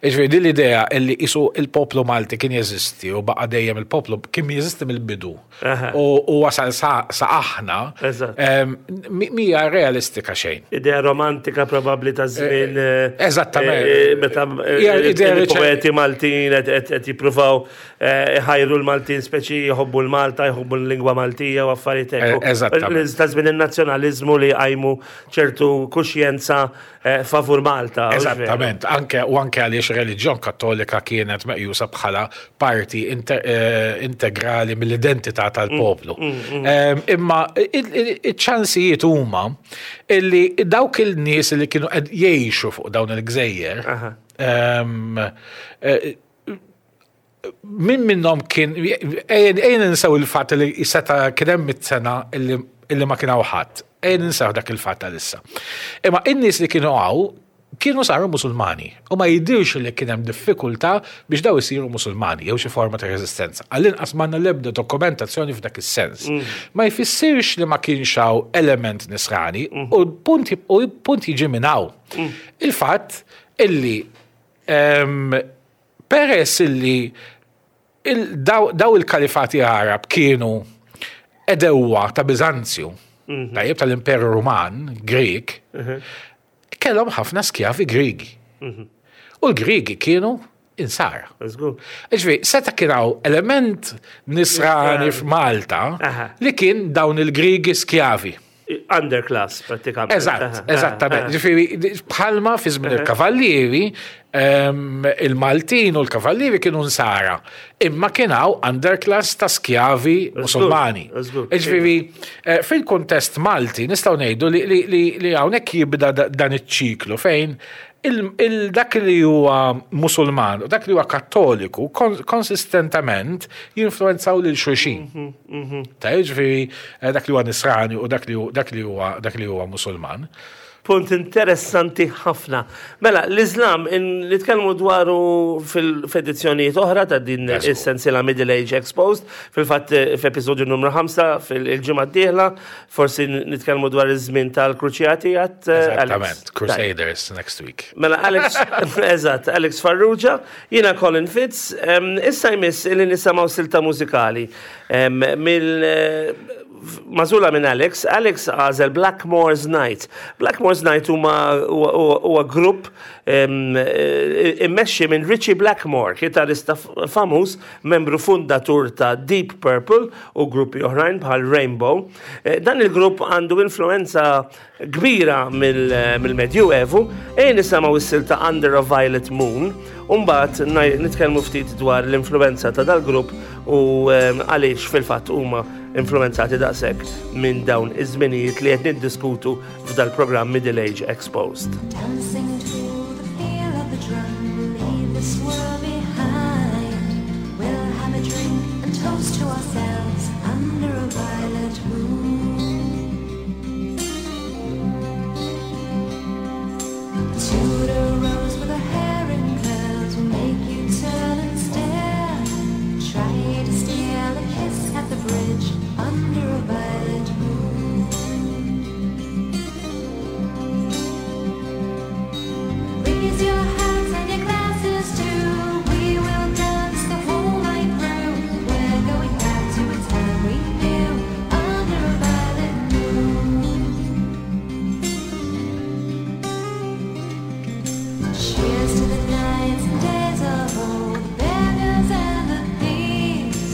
Ġifieri din l-idea illi isu il-poplu Malti kien jeżisti u baqa' dejjem il-poplu kien jeżisti mill-bidu. Aha. U u wasal sa sa aħna, Eżatt. em, mi- mija realistika xejn. Idea romantika probabli ta' żmien. eh, Eżattament. eh, Meta eh, Hija idea li il-poeti Maltin qed- qed qed jippruvaw eh, iħajru l-Maltin speċi jħobbu l-Malta, jħobbu l-lingwa Maltija u affarijiet hekk. Eh, eżattament. Ta' żmien in-nazzjonaliżmu nazzjonalizmu li għajmu ċertu kuxjenza eh, favur Malta. Eżattament, anke u anke għaliex reliġjon Kattolika kienet meqjusa bħala parti eh, integrali mill-identità tal-poplu. Mm, mm, mm. Imma iċ-ċansijiet huma illi dawk il-nies li kienu qed jgħixu fuq dawn il-gżejjer eh, min minnhom kien ejn ninsew il-fatt li seta' kien hemm mitt sena illi ma kien hawn ħadd. Ejn ninsew dak il-fatt għalissa. Imma in-nies li kienu hawn kienu saru Musulmani u ma jidirx li kien hemm diffikultà biex daw isiru Musulmani jew xi forma ta' reżistenza. Għall-inqas m'għandna l-ebda dokumentazzjoni f'dak is-sens. Mm. Ma jfissirx li ma kienx hawn element nisrani mm. u punt u punt jiġi minn hawn. Mm. Il-fatt illi peress illi il, daw, daw il-kalifati Arab kienu edewwa ta' Biżanzju, mm -hmm. tajjeb tal-Imperu Ruman, Grek, mm -hmm. kellhom ħafna skjavi Griegi. Mm -hmm. U l-Griegi kienu insara. Ġifieri, seta' kien hawn element nisrani f'Malta li kien dawn il-Griegi skjavi. Underclass, pratikament. Eżatt, eżattament. Ġifieri, bħalma fi żmien il-kavallieri, il-Maltin u l-kavallieri kienu nsara. Imma kien hawn underclass ta' skjavi Musulmani. Ġifieri, eh, fil-kuntest Malti nistgħu ngħidu li hawnhekk jibda dan iċ-ċiklu fejn dak li huwa Musulman u dak li huwa Kattoliku konsistentament jinfluenzaw lil xulxin. Mhm, mhm. Ta' ġifieri eh, dak li huwa Nisrani u dak li huwa dak li huwa Musulman. Punt interessanti ħafna. Mela, l-Islam, nitkellmu dwaru fil-edizzjonijiet oħra ta' din is-sensiela Middle Age Exposed, fil-fatt eh, f'episodju numru ħamsa fil-ġimgħa d-dieħla, forsi nitkellmu dwar iż-żmien tal-Kruċjati għat. Eh, Eżattament, Crusaders next week. Mela, Alex, eżatt, Alex Farrugia, jiena Colin Fitz, issa jmiss li nisimgħu silta mużikali mill eh, mażula minn Alex, Alex għażel Blackmore's Night. Blackmore's Night huma huwa grupp immexxi minn Ritchie Blackmore, kitarista famuż, membru fundatur ta' Deep Purple u gruppi oħrajn bħal Rainbow. Eh, dan il-grupp għandu influenza kbira mill-Medjuevu, e nisimgħu s-silta Under a Violet Moon, u mbagħad nitkellmu ftit dwar l-influenza ta' dal-grupp u għaliex fil-fatt huma influenzati daqshekk minn dawn iż-żminijiet li qed niddiskutu f'dal-programm Middle Age Exposed. Dancing to the feel of the drum, leave this world behind. We'll have a drink and toast to ourselves under a violet moon. A Tudor rose with a hair in curls will make you turn and stare. Try to steal a kiss at the bridge under a violet moon. Raise your hands and your glasses too. We will dance the whole night through. We're going back to a time we knew under a violet moon. Cheers to the nights and days of old, the beggars and the thieves.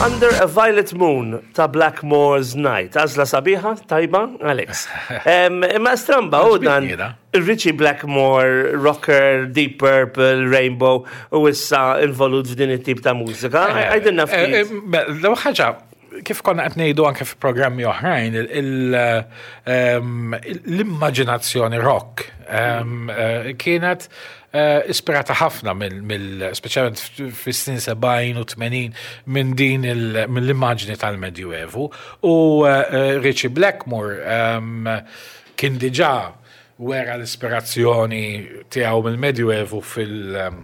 Under a Violet Moon ta' Blackmore's Night. Għażla sabiħa, tajba, Alex. Em, Imma stramba, u dan Ritchie Blackmore, rocker, Deep Purple, Rainbow, u issa involut f'din it-tip ta' mużika. Għidilna ftit. L-ewwel ħaġa, kif konna qed ngħidu anke fi programmi oħrajn, il- il- ehm, l-immaġinazzjoni rock ehm, eh, kienet eh, ispirata ħafna mill, mill speċjalment fis-snin sebgħin u tmenin minn din il- mill-immaġni tal-Medjuevu. U eh, Ritchie Blackmore ehm, kien diġà wera l-ispirazzjoni tiegħu mill-Medjuevu fil- ehm,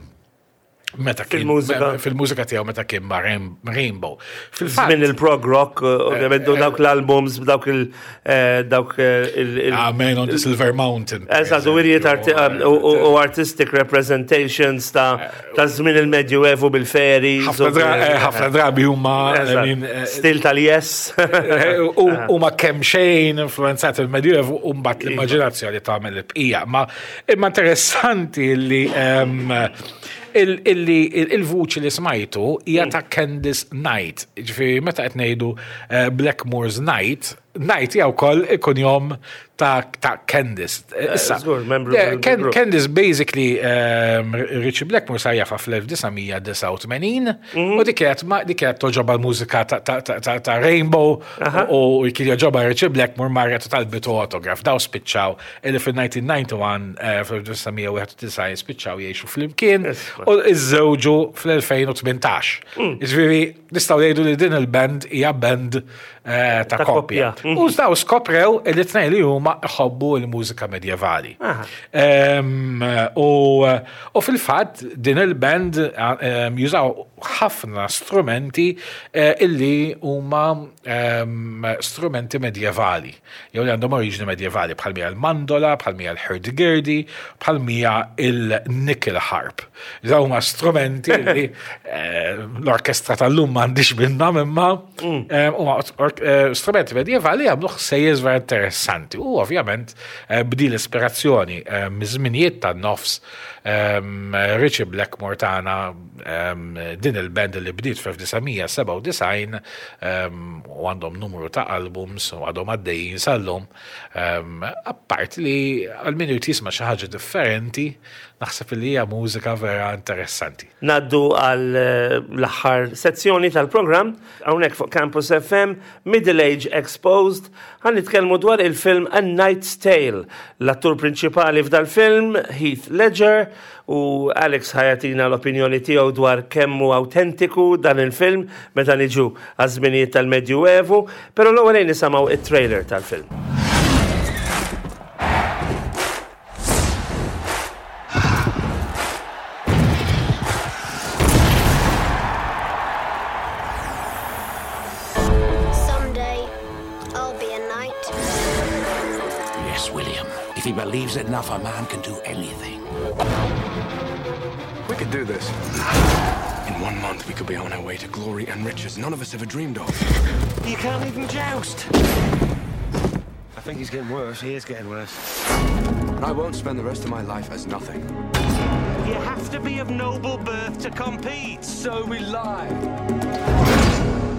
meta kien Fil-mużika. fil-mużika tiegħu meta kien ma' Rain- Rainbow. Fil-fatt Minn il-prog rock, ovvjament, u dawk l-albums, dawk il- eh, dawk eh, il- il- Man on the Silver Mountain. per Eżatt, u wirjiet arti- eżempju. u- u u artistic representations ta' ta' żmien il-Medjuevu bil-fairies. Ħafna u dra- bil- eh, ħafna drabi huma I Eżatt. mean, eh, Stil tal-Yes. eh, u- huma kemm xejn influenzati il-Medjuevu u mbagħad l-immaġinazzjoni tagħmel il-bqija. Ma imma interessanti li ehm, il- illi il- il-vuċi li smajtu hija ta' Candice Night. Ġifieri meta qed ngħidu eh, Blackmore's Night, Night hija wkoll il-kunjom ta' ta' Candice. Issa, Żgur, membru eh, del- Ken- del grupp. Candice basically um, Ritchie Blackmore sar jafha fl-elf disa' mija disgħa u tmenin u dik kienet ma dik kienet togħġobha l-mużika ta' ta' ta' ta' ta' Rainbow u u kien jogħġobha Ritchie Blackmore, marret u talbitu autograph. Daw spiċċaw illi fil-elf disa' mija wieħed u disgħin, eh, fil-elf disa' mija wieħed u disgħin spiċċaw jgħixu flimkien u iżżewġu fl-elfejn u tmintax. Ġifieri nistgħu ngħidu li din il-band hija band eh, ta' Ta' koppja. koppja. U daw skoprew li tnejn li huma iħobbu l-mużika medjevali. Aha. Em, U u fil-fatt din il-band em, jużaw ħafna strumenti eh, illi huma em, strumenti medjevali. Jew li għandhom oriġini medjevali bħal mija l-mandola, bħal mija l-hurdy-gurdy, bħal mija il-nickel harp. Dawn huma strumenti li eh, l-orkestra tal-lum m'għandix minnhom imma em, huma or- eh, strumenti medjevali jagħmlu ħsejjes vera interessanti. U ovvjament eh, b'di l-ispirazzjoni eh, miż-żminijiet tan-nofs em, Ritchie Blackmore tagħna em, din il-band li bdiet fl-elf disa' mija sebgħa u disgħin em, u għandhom numru ta' albums u għadhom għaddejjin sal-lum. Em, Appart li għal min irid jisma' xi ħaġa differenti, naħseb li hija mużika vera interessanti. Ngħaddu għal eh, l-aħħar sezzjoni tal-program, hawnhekk fuq Campus F M, Middle Age Exposed, ħa nitkellmu dwar il-film A Knight's Tale. L-attur prinċipali f'dal-film, Heath Ledger, u Alex ħa jagħtina l-opinjoni tiegħu dwar kemm hu autentiku dan il-film meta niġu għaż-żminijiet tal-Medjuevu, però l-ewwel nisimgħu it-trailer tal-film. Someday, I'll be a knight. Yes, William. If he believes enough, a man can do anything. We could do this. In one month, we could be on our way to glory and riches none of us ever dreamed of. You can't even joust. I think he's getting worse. He is getting worse. And I won't spend the rest of my life as nothing. You have to be of noble birth to compete. So we lie.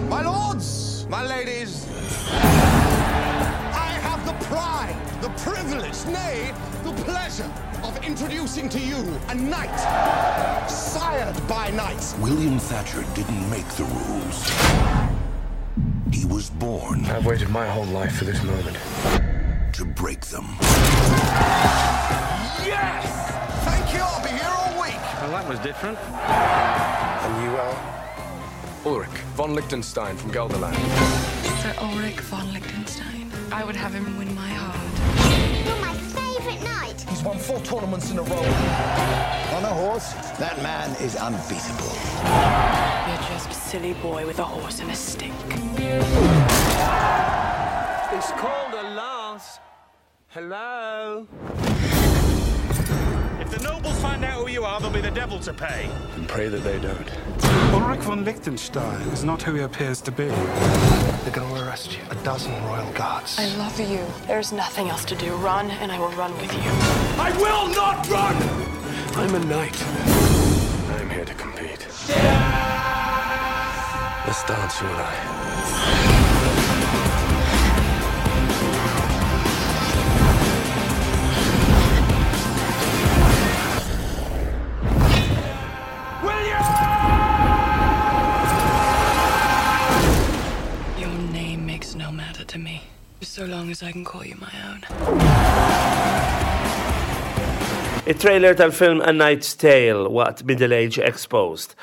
My lords, my ladies, I have the pride, the privilege, nay, the pleasure of introducing to you a knight, sired by knights. William Thatcher didn't make the rules. He was born I've waited my whole life for this moment. To break them. Yes! Thank you, I'll be here all week. Well, that was different. And you are? Ulrich von Liechtenstein from Gelderland. Sir Ulrich von Liechtenstein. I would have him win my heart. You're my favorite knight. He's won four tournaments in a row. On a horse, that man is unbeatable. You're just a silly boy with a horse and a stick. It's called a lance. Hello? If the nobles find out who you are, there'll be the devil to pay. And pray that they don't. Ulrich von Liechtenstein is not who he appears to be. They're going to arrest you. A dozen royal guards. I love you. There's nothing else to do. Run, and I will run with you. I will not run! I'm a knight. I'm here to compete. Let's dance, you and I. Your name makes no matter to me, so long as I can call you my own. Il-trailer tal-film A Knight's Tale waqt Middle Age Exposed.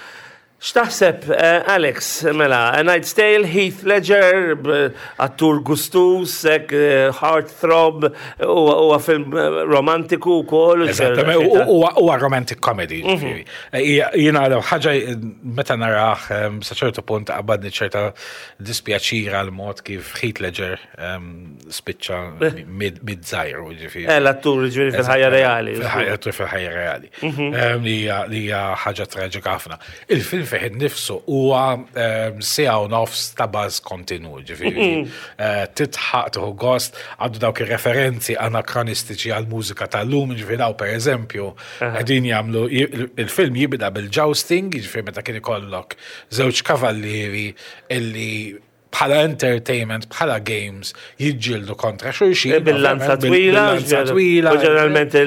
X'taħseb, eh, Alex, mela, A Knight's Tale, Heath Ledger, b- attur gustus, hekk, eh, heartthrob, huwa huwa film eh, romantiku wkoll. Eżattament, huwa huwa romantic comedy. Ġifieri. Hija- Jiena l ħaġa meta narah em, sa ċertu punt qabadni ċerta dispjaċir għal mod kif Heath Ledger em, spiċċa mid mid-żgħir, ġifieri. Eh, l-attur ġifieri fil-ħajja reali. Fil-ħajja fil-ħajja reali. Em, Li hija- li hija ħaġa traġika ħafna. Il-film fih innifsu huwa em, siegħa u nofs ta' buzz kontinu, ġifieri. Eh, Titħaq tieħu gost, għandu dawk ir-referenzi anakronistiċi għal mużika tal-lum, ġifieri daw per eżempju, qegħdin jagħmlu il-film jibda bil-jousting, ġifieri meta kien ikollok żewġ kavallieri illi bħala entertainment, bħala games, jiġġieldu kontra xulxin. Eh, Bil-lanza ovvjament, bil- twila. Bil-lanza twila. U ġeneralment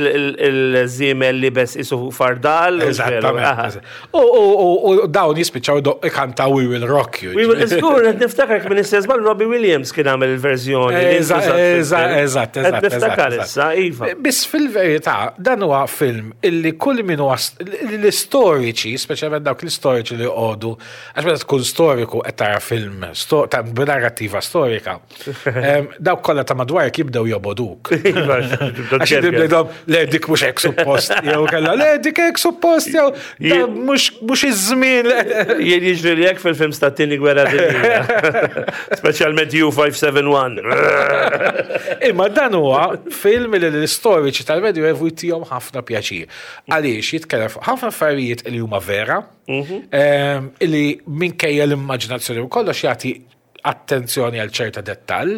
il-żiemel liebes qisu fardal. Eżattament. U- U u- u dawn jispiċċaw do- ikantaw We Will Rock You. We will, żgur, qed niftakar minn istess mal Robbie Williams kien għamel il-verżjoni. li Eżatt, ntużat fil-film. eżatt, eżatt, Qed eżatt, niftakar eżatt. issa, iva. Biss fil-verità, dan huwa film illi kull min huwa l-istoriċi, speċjalment dawk l-istoriċi li jqogħdu, għax meta tkun storiku qed tara film sto- ta' b'narrattiva storika, em, dawk kollha ta' madwarek jibdew joboduk. Iva, Għax jibdew le dik mhux hekk suppost, jew kellha le dik hekk suppost, jew da mhux mhux iż-żmien. Jien jiġri li hekk fil-film ta' tieni gwerra dinjija. Speċjalment U five seven one. Imma dan huwa film li l-istoriċi tal-Medjuevu jtihom ħafna pjaċir. Għaliex jitkellem fuq ħafna affarijiet li huma vera, em, illi minkejja l-immaġinazzjoni u kollox jagħti attenzjoni għal ċerta dettall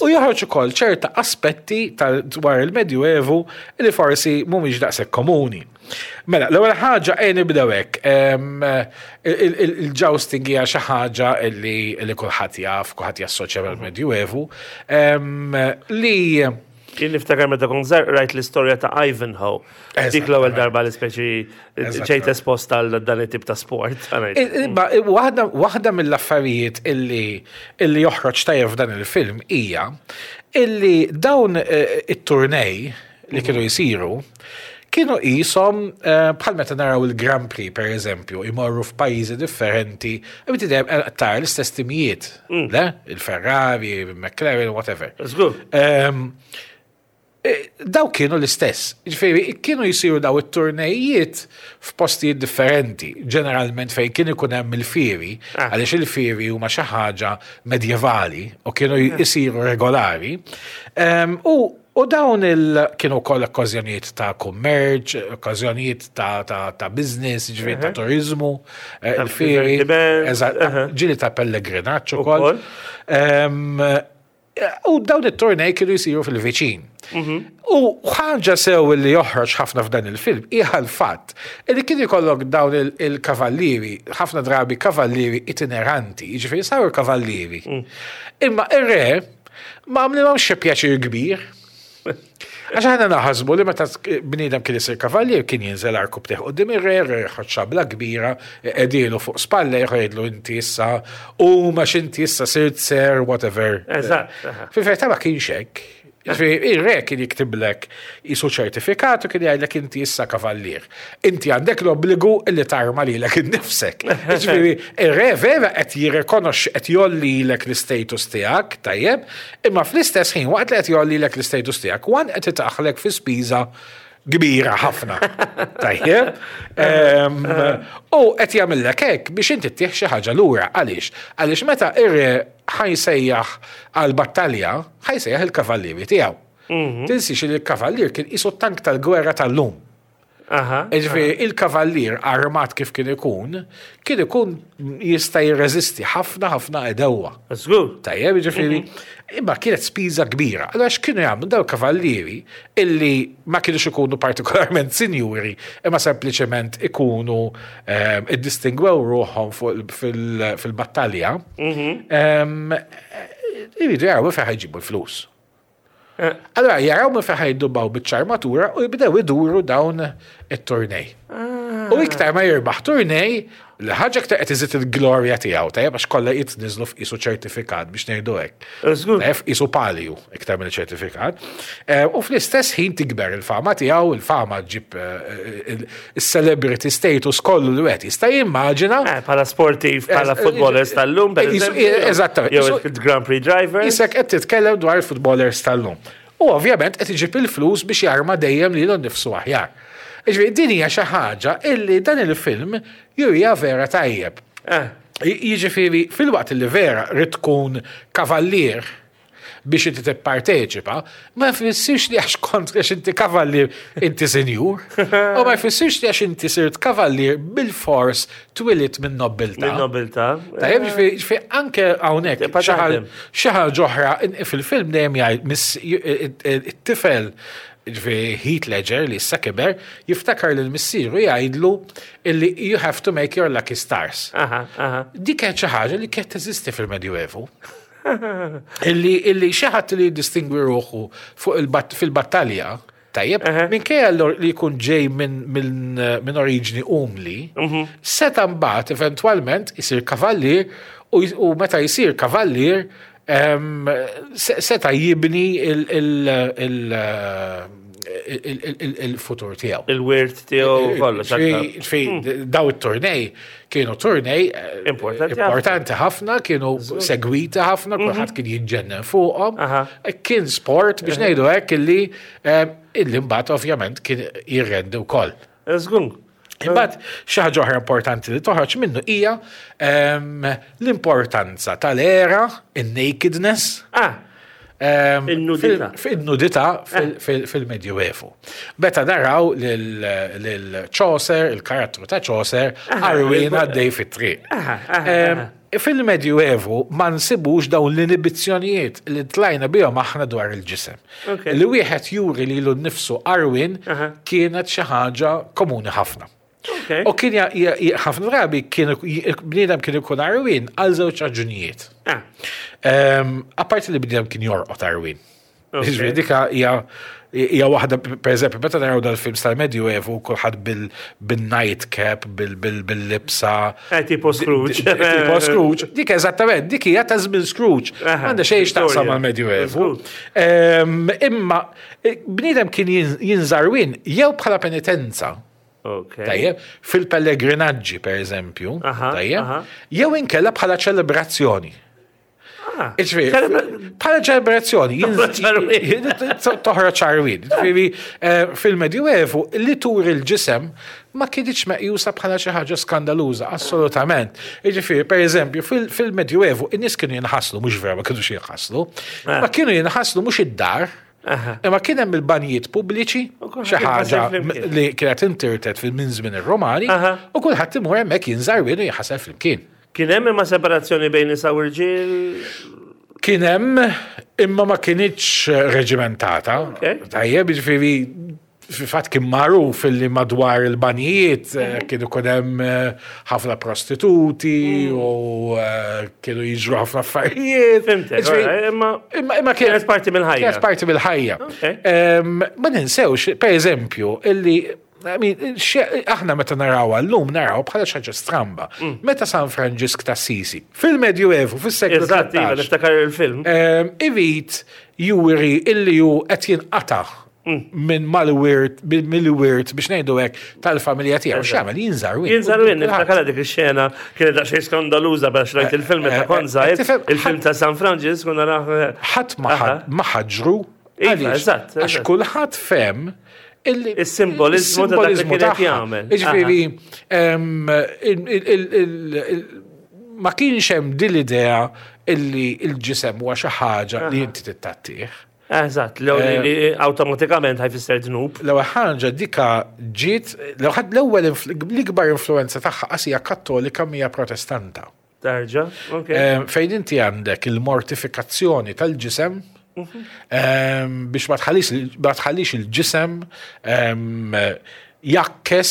u joħroġ ukoll ċerta aspetti tal dwar il-Medjuevu li forsi mhumiex daqshekk komuni. Mela, l-ewwel ħaġa ejja nibdew hekk. em, il- il- Il-jousting hija xi ħaġa li li kulħadd jaf, kulħadd jassoċja mal-Medjuevu, em, li Jien niftakar meta kont żgħir rajt l-istorja ta' Ivanhoe. Dik l-ewwel darba li speċi ġejt esposta għal dan it-tip ta' sport. Imma waħda waħda mill-affarijiet illi illi joħroġ tajjeb f'dan il-film hija illi dawn eh, it-turnej li kienu jisiru kienu qishom eh, bħal meta naraw il-Grand Prix per eżempju, imorru f'pajjiżi differenti, u inti dejjem tara l-istess timijiet, le? Il-Ferrari, il-McLaren, whatever. Żgur. Ehm, eh, Daw kienu l-istess. Ġifieri, kienu jisiru daw it-turnejiet f'postijiet differenti, ġeneralment fejn kien ikun hemm il-fieri, Ah. għaliex il-fieri huma xi ħaġa medjevali u kienu jisiru regolari. Ehm, U U dawn il kienu wkoll okkażjonijiet ta' kummerċ, okkażjonijiet ta', ta, ta' business, ġifieri ta' turizmu, eh, Ta' il-fieri, divertiment, eżatt, aha. ġieli ta' pellegrinaġġ ukoll. Ukoll. Ehm, U dawn it-turnej kienu jisiru fil-viċin. U ħaġa sew li joħroġ ħafna f'dan il-film hija l-fatt li kien ikollok dawn il- il-kavallieri, ħafna drabi kavallieri itineranti, jiġifieri saru kavallieri. Imma ir-re ma għamlilhomx xi pjaċir kbir. Għax aħna naħasbu li meta bniedem kien isir kavallier kien jinżel għarkupptejh quddiem ir-re, re jħodd xabla kbira, edilu fuq spalla jgħidlu inti issa u ma inti issa sirt sir whatever. Eżatt, aha. Fil-verità ma kienx hekk. Ġifieri, ir-re kien jiktiblek qisu ċertifikat u kien jgħidlek inti issa kavallier. Inti għandek l-obbligu illi tarma lilek innifsek. Ġifieri, ir-re vera qed jirrikonoxxi qed jgħollilek l-istatus tiegħek, tajjeb, imma fl-istess ħin waqt li qed jgħollilek l-istatus tiegħek, wan qed itaħlek fi spiża kbira ħafna. Tajjeb. Em, U qed jagħmellek hekk biex inti ttih xi ħaġa lura. Għaliex? Għaliex meta ir-re ħa jsejjaħ għal battalja, ħa jsejjaħ il-kavallieri tiegħu. Tinsix li l-kavallier kien qisu tank tal-gwerra tal-lum. Aha. Ġifieri, il-kavallier armat kif kien ikun, kien ikun jista' jirreżisti ħafna ħafna għedewwa. Żgur. Tajjeb, ġifieri, imma kienet spiża kbira. Allora x'kienu jagħmlu daw kavallieri illi ma kienux ikunu partikolarment sinjuri, imma sempliċement ikunu ehm, iddistingwew ruħhom fuq fil- fil-battalja, ehm, iridu jaraw minn fejn ħa jġibu l-flus. Allora jaraw minn fejn ħa jdubbaw biċ-armatura u jibdew iduru dawn it-turnej. U iktar ma jirbaħ turnej, l-ħaġa iktar qed iżid il-glorja tiegħu, tajjeb għax kollha jitniżlu f'isu ċertifikat biex ngħidu hekk. Żgur. Tajjeb isu palju iktar minn ċertifikat. Eh, U fl-istess ħin tikber il-fama tiegħu, il-fama ġib eh, il- il-celebrity status kollu li wieħed jista' jimmaġina. Eh, Bħala sportiv, bħala Eh, footballers tal-lum, per eh, eżempju. eżattament. Jew il-Grand Prix driver. Isek qed titkellem dwar il-footballers tal-lum. U ovvjament qed iġib il-flus biex jarma dejjem lilu nnifsu aħjar. Ġifieri din hija xi ħaġa illi dan il-film jurija vera tajjeb. Eh. Jiġifieri fil-waqt li vera rid tkun kavallier biex inti tipparteċipa, ma jfissirx li għax kont għax inti kavallier inti senjur, u ma jfissirx li għax inti sirt kavallier bil-fors twilidt minn nobiltà. Minn nobiltà. Tajjeb, ġifieri ġifieri anke hawnhekk Tibqa' xi ħaġa- taħdem. xi ħaġa oħra in- fil-film dejjem jgħid miss- it-tifel ġifieri Heath Ledger li issa kiber jiftakar lil missieru jgħidlu illi you have to make your lucky stars. Aha, aha. Dik kienet xi ħaġa li kienet teżisti fil-Medjuevu. Illi illi xi ħadd li jiddistingwi ruħu fuq il-bat- fil-battalja, tajjeb, minkejja l- li jkun ġej minn min, min oriġni umli, seta mbagħad eventwalment isir kavallier u, u meta jsir kavallier em, se- seta jibni il- il- il- il- il- il- il-futur tiegħu. Il-wirt tiegħu kollox. Ġifieri- ġifieri, daw it-turnej kienu turnej eh, Importanti ħafna. importanti ħafna, kienu segwiti ħafna, kulħadd kien jiġġennen fuqhom. Kien sport biex ngħidu hekk illi eh, illi mbagħad ovvjament kien jirrendi wkoll. Żgur. Imbagħad xi ħaġa oħra importanti li toħroġ minnu hija ehm, l-importanza tal-era, in-nakedness. Ah. Ehm, In-nudità. fil- Fil-nudità fil- fil- fil-Medjuevu. Meta naraw lil Chaucer, il-karattru ta' Chaucer, għarwien għaddej fit-triq. Ehm, Fil-Medjuevu ma nsibux dawn l-inibizzjonijiet li tlajna bihom aħna dwar il-ġisem. Ok. Li wieħed juri lilu nnifsu għarwien kienet xi ħaġa komuni ħafna. Ok. U kien ja- ja- ja- ħafna drabi kien bniedem kien ikun għarwien għal żewġ raġunijiet. Ah. Ehm, Apparti li bniedem kien jorqod għarwien. Ok. Ġifieri dika hija hija waħda per eżempju meta naraw dal-films tal-Medjuevu kulħadd bil-night cap, bil-libsa. Eh, tipo Scrooge. Tipo Scrooge. Dik eżattament, dik hija ta' żmien Scrooge. Aha, Għandha xejn x'taqsam Victoria. mal-Medjuevu. Żgur. Ehm, Imma eh, bniedem kien jin- jinża' għarwien jew bħala penitenza. Ok. Tajjeb, fil-pellegrinaġġi per eżempju, Aha, tajjeb, aha. jew inkella bħala ċelebrazzjoni. Ah. Ġifieri, Ċelebra- bħala ċelebrazzjoni, Toħroġ għarwien. toħroġ għarwien. Ġifieri, eh, fil-Medjuevu li turi l-ġisem ma kienx meqjusa bħala xi ħaġa skandaluża, assolutament. Ġifieri, per eżempju, fil- fil-Medjuevu in-nies kienu jinħaslu, mhux vera ma kienux jinħaslu, Ah. ma kienu jinħaslu mhux id-dar, Imma kien hemm il-banjiet pubbliċi, kulħadd xi ħaġa jinħasel flimkien. li kienet intirtet fil minn żmien ir-Romani, u kulħadd imur hemmhekk jinża' għarwien u jinħasel flimkien. Kien hemm imma separazzjoni bejn nisa u rġiel. Kien hemm imma ma kienitx reġimentata. Tajjeb, ġifieri fil-fatt kien magħruf illi madwar il-banjiet eh, kienu ikun hemm eh, ħafna prostituti u eh, kienu jiġru ħafna affarijiet. Fhimtek, Ġifieri, alright, imma imma imma kienet parti mill-ħajja. Kienet parti mill-ħajja. Em, Ma ninsewx, per eżempju, illi I mean, xe- aħna meta naraw għallum naraw bħala xi ħaġa stramba. Mm. Meta San Franġisk ta' Sisi, fil-Medjuevu, fis-seklu Eżatt, iva, tlettax, niftakar il-film. em, irid juri illi ju qed jinqata' Mm. minn mal-wirt, mill-wirt biex ngħidu hekk tal-familja tiegħu. X'jagħmel jinża' għarwien. Jinża' għarwien, niftakar dik ix-xena kienet daqsxejn skandaluża biex rajt il-film eh, ta' eh, Konzajt, tifhem, il-film ta' San Franġisk, u naraħ. Ħadd ma ħad- ma ħaġru. Iva, Għaliex? eżatt, Għax eżatt. kulħadd fehem illi Is-simboliżmu ta' dak li is-simboliżmu kien qed tagħha. jagħmel. Jiġifieri, em, il- il- il- il- il- ma kienx hemm din l-idea illi il-ġisem huwa xi ħaġa li inti tittattih. Eżatt, li li awtomatikament ħa jfisser dnub. L-ewwel ħaġa dika ġiet, l-ewwel l-ikbar influenza tagħha qas hija Kattolika, mija Protestanta. Tarġa, ok. Fejn inti għandek il-mortifikazzjoni tal-ġisem biex ma tħallix il-ġisem jakkes,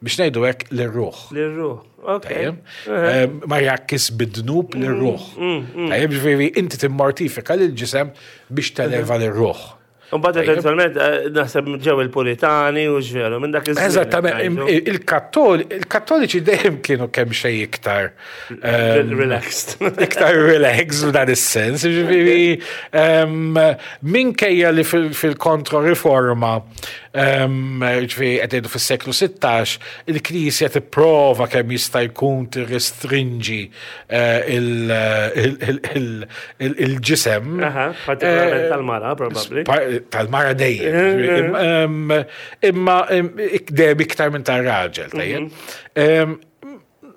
biex ngħidu hekk, lir-ruħ. Lir-ruħ, ok. Ma jakkes bid-dnub lir-ruħ. Tajjeb, ġifieri inti timmortifika lill-ġisem biex televa lir-ruħ. Mbagħad eventwalment naħseb ġew il-Puritani u ġveru minn dak iż-żmien. Eżattament, il-Kattoliċi dejjem kienu kemm xejn iktar relaxed. Iktar relaxed f'dan is-sens, ġifieri minkejja li fil-Kontroriforma, ġifieri qed ngħidu fis-seklu sittax, il-Knisja tipprova kemm jista' jkun tirrestrinġi il-ġisem. Partikolarment tal-mara, probabbli. Tal-mara dejjem. Imma dejjem iktar minn tar-raġel, tajjeb.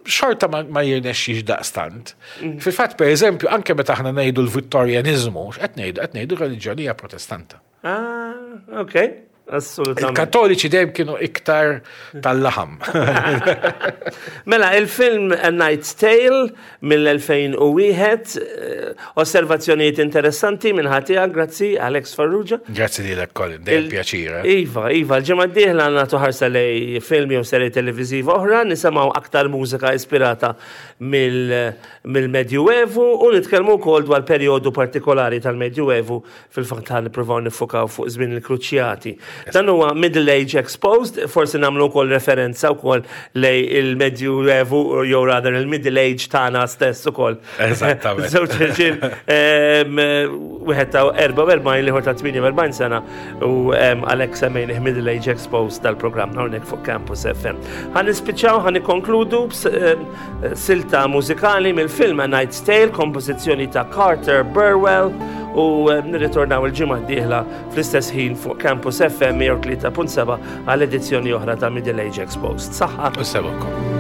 Xorta ma jirnexxix daqstant. Fil-fatt, per eżempju, anke meta aħna ngħidu l-Vittorjanizmu, x'qed ngħidu? Qed ngħidu reliġjonija Protestanta. Ah, ok. Assolutament. Il-Kattoliċi dejjem kienu iktar tal-laħam. Mela, il-film A Knight's Tale mill-elfejn u wieħed, osservazzjonijiet interessanti minn ħatija, grazzi Alex Farrugia. Grazzi lilek Colin, dejjem pjaċir. Iva, iva, l-ġimgħa d-dieħla nagħtu ħarsa lej film jew serje televiżiva oħra, nisimgħu aktar mużika ispirata mill-Medjuevu u nitkellmu wkoll dwar perjodu partikolari tal-Medjuevu, fil-fatt ħa nippruvaw nifukaw fuq żmien il-Kruċjati. Dan huwa Middle Age Exposed, forsi nagħmlu wkoll referenza wkoll lej il-Medjuevu jew rather il-Middle Age tagħna stess ukoll. Eżattament. Żewġ irġiel, wieħed ta' erbgħa u erbgħin, l-ieħor ta' tmienja u erbgħin sena, u għalhekk semmejnih Middle Age Exposed tal-programm hawnhekk fuq Campus F M. Ħa nispiċċaw, ħa nikkonkludu b'silta mużikali mill-film A Knight's Tale, kompożizzjoni ta' Carter Burwell, u nirritornaw il-ġimgħa d-dieħla fl-istess ħin fuq Campus F M mija u tlieta punt seba' għal edizzjoni oħra ta' Middle Age Exposed. Saħħa. U sebukom.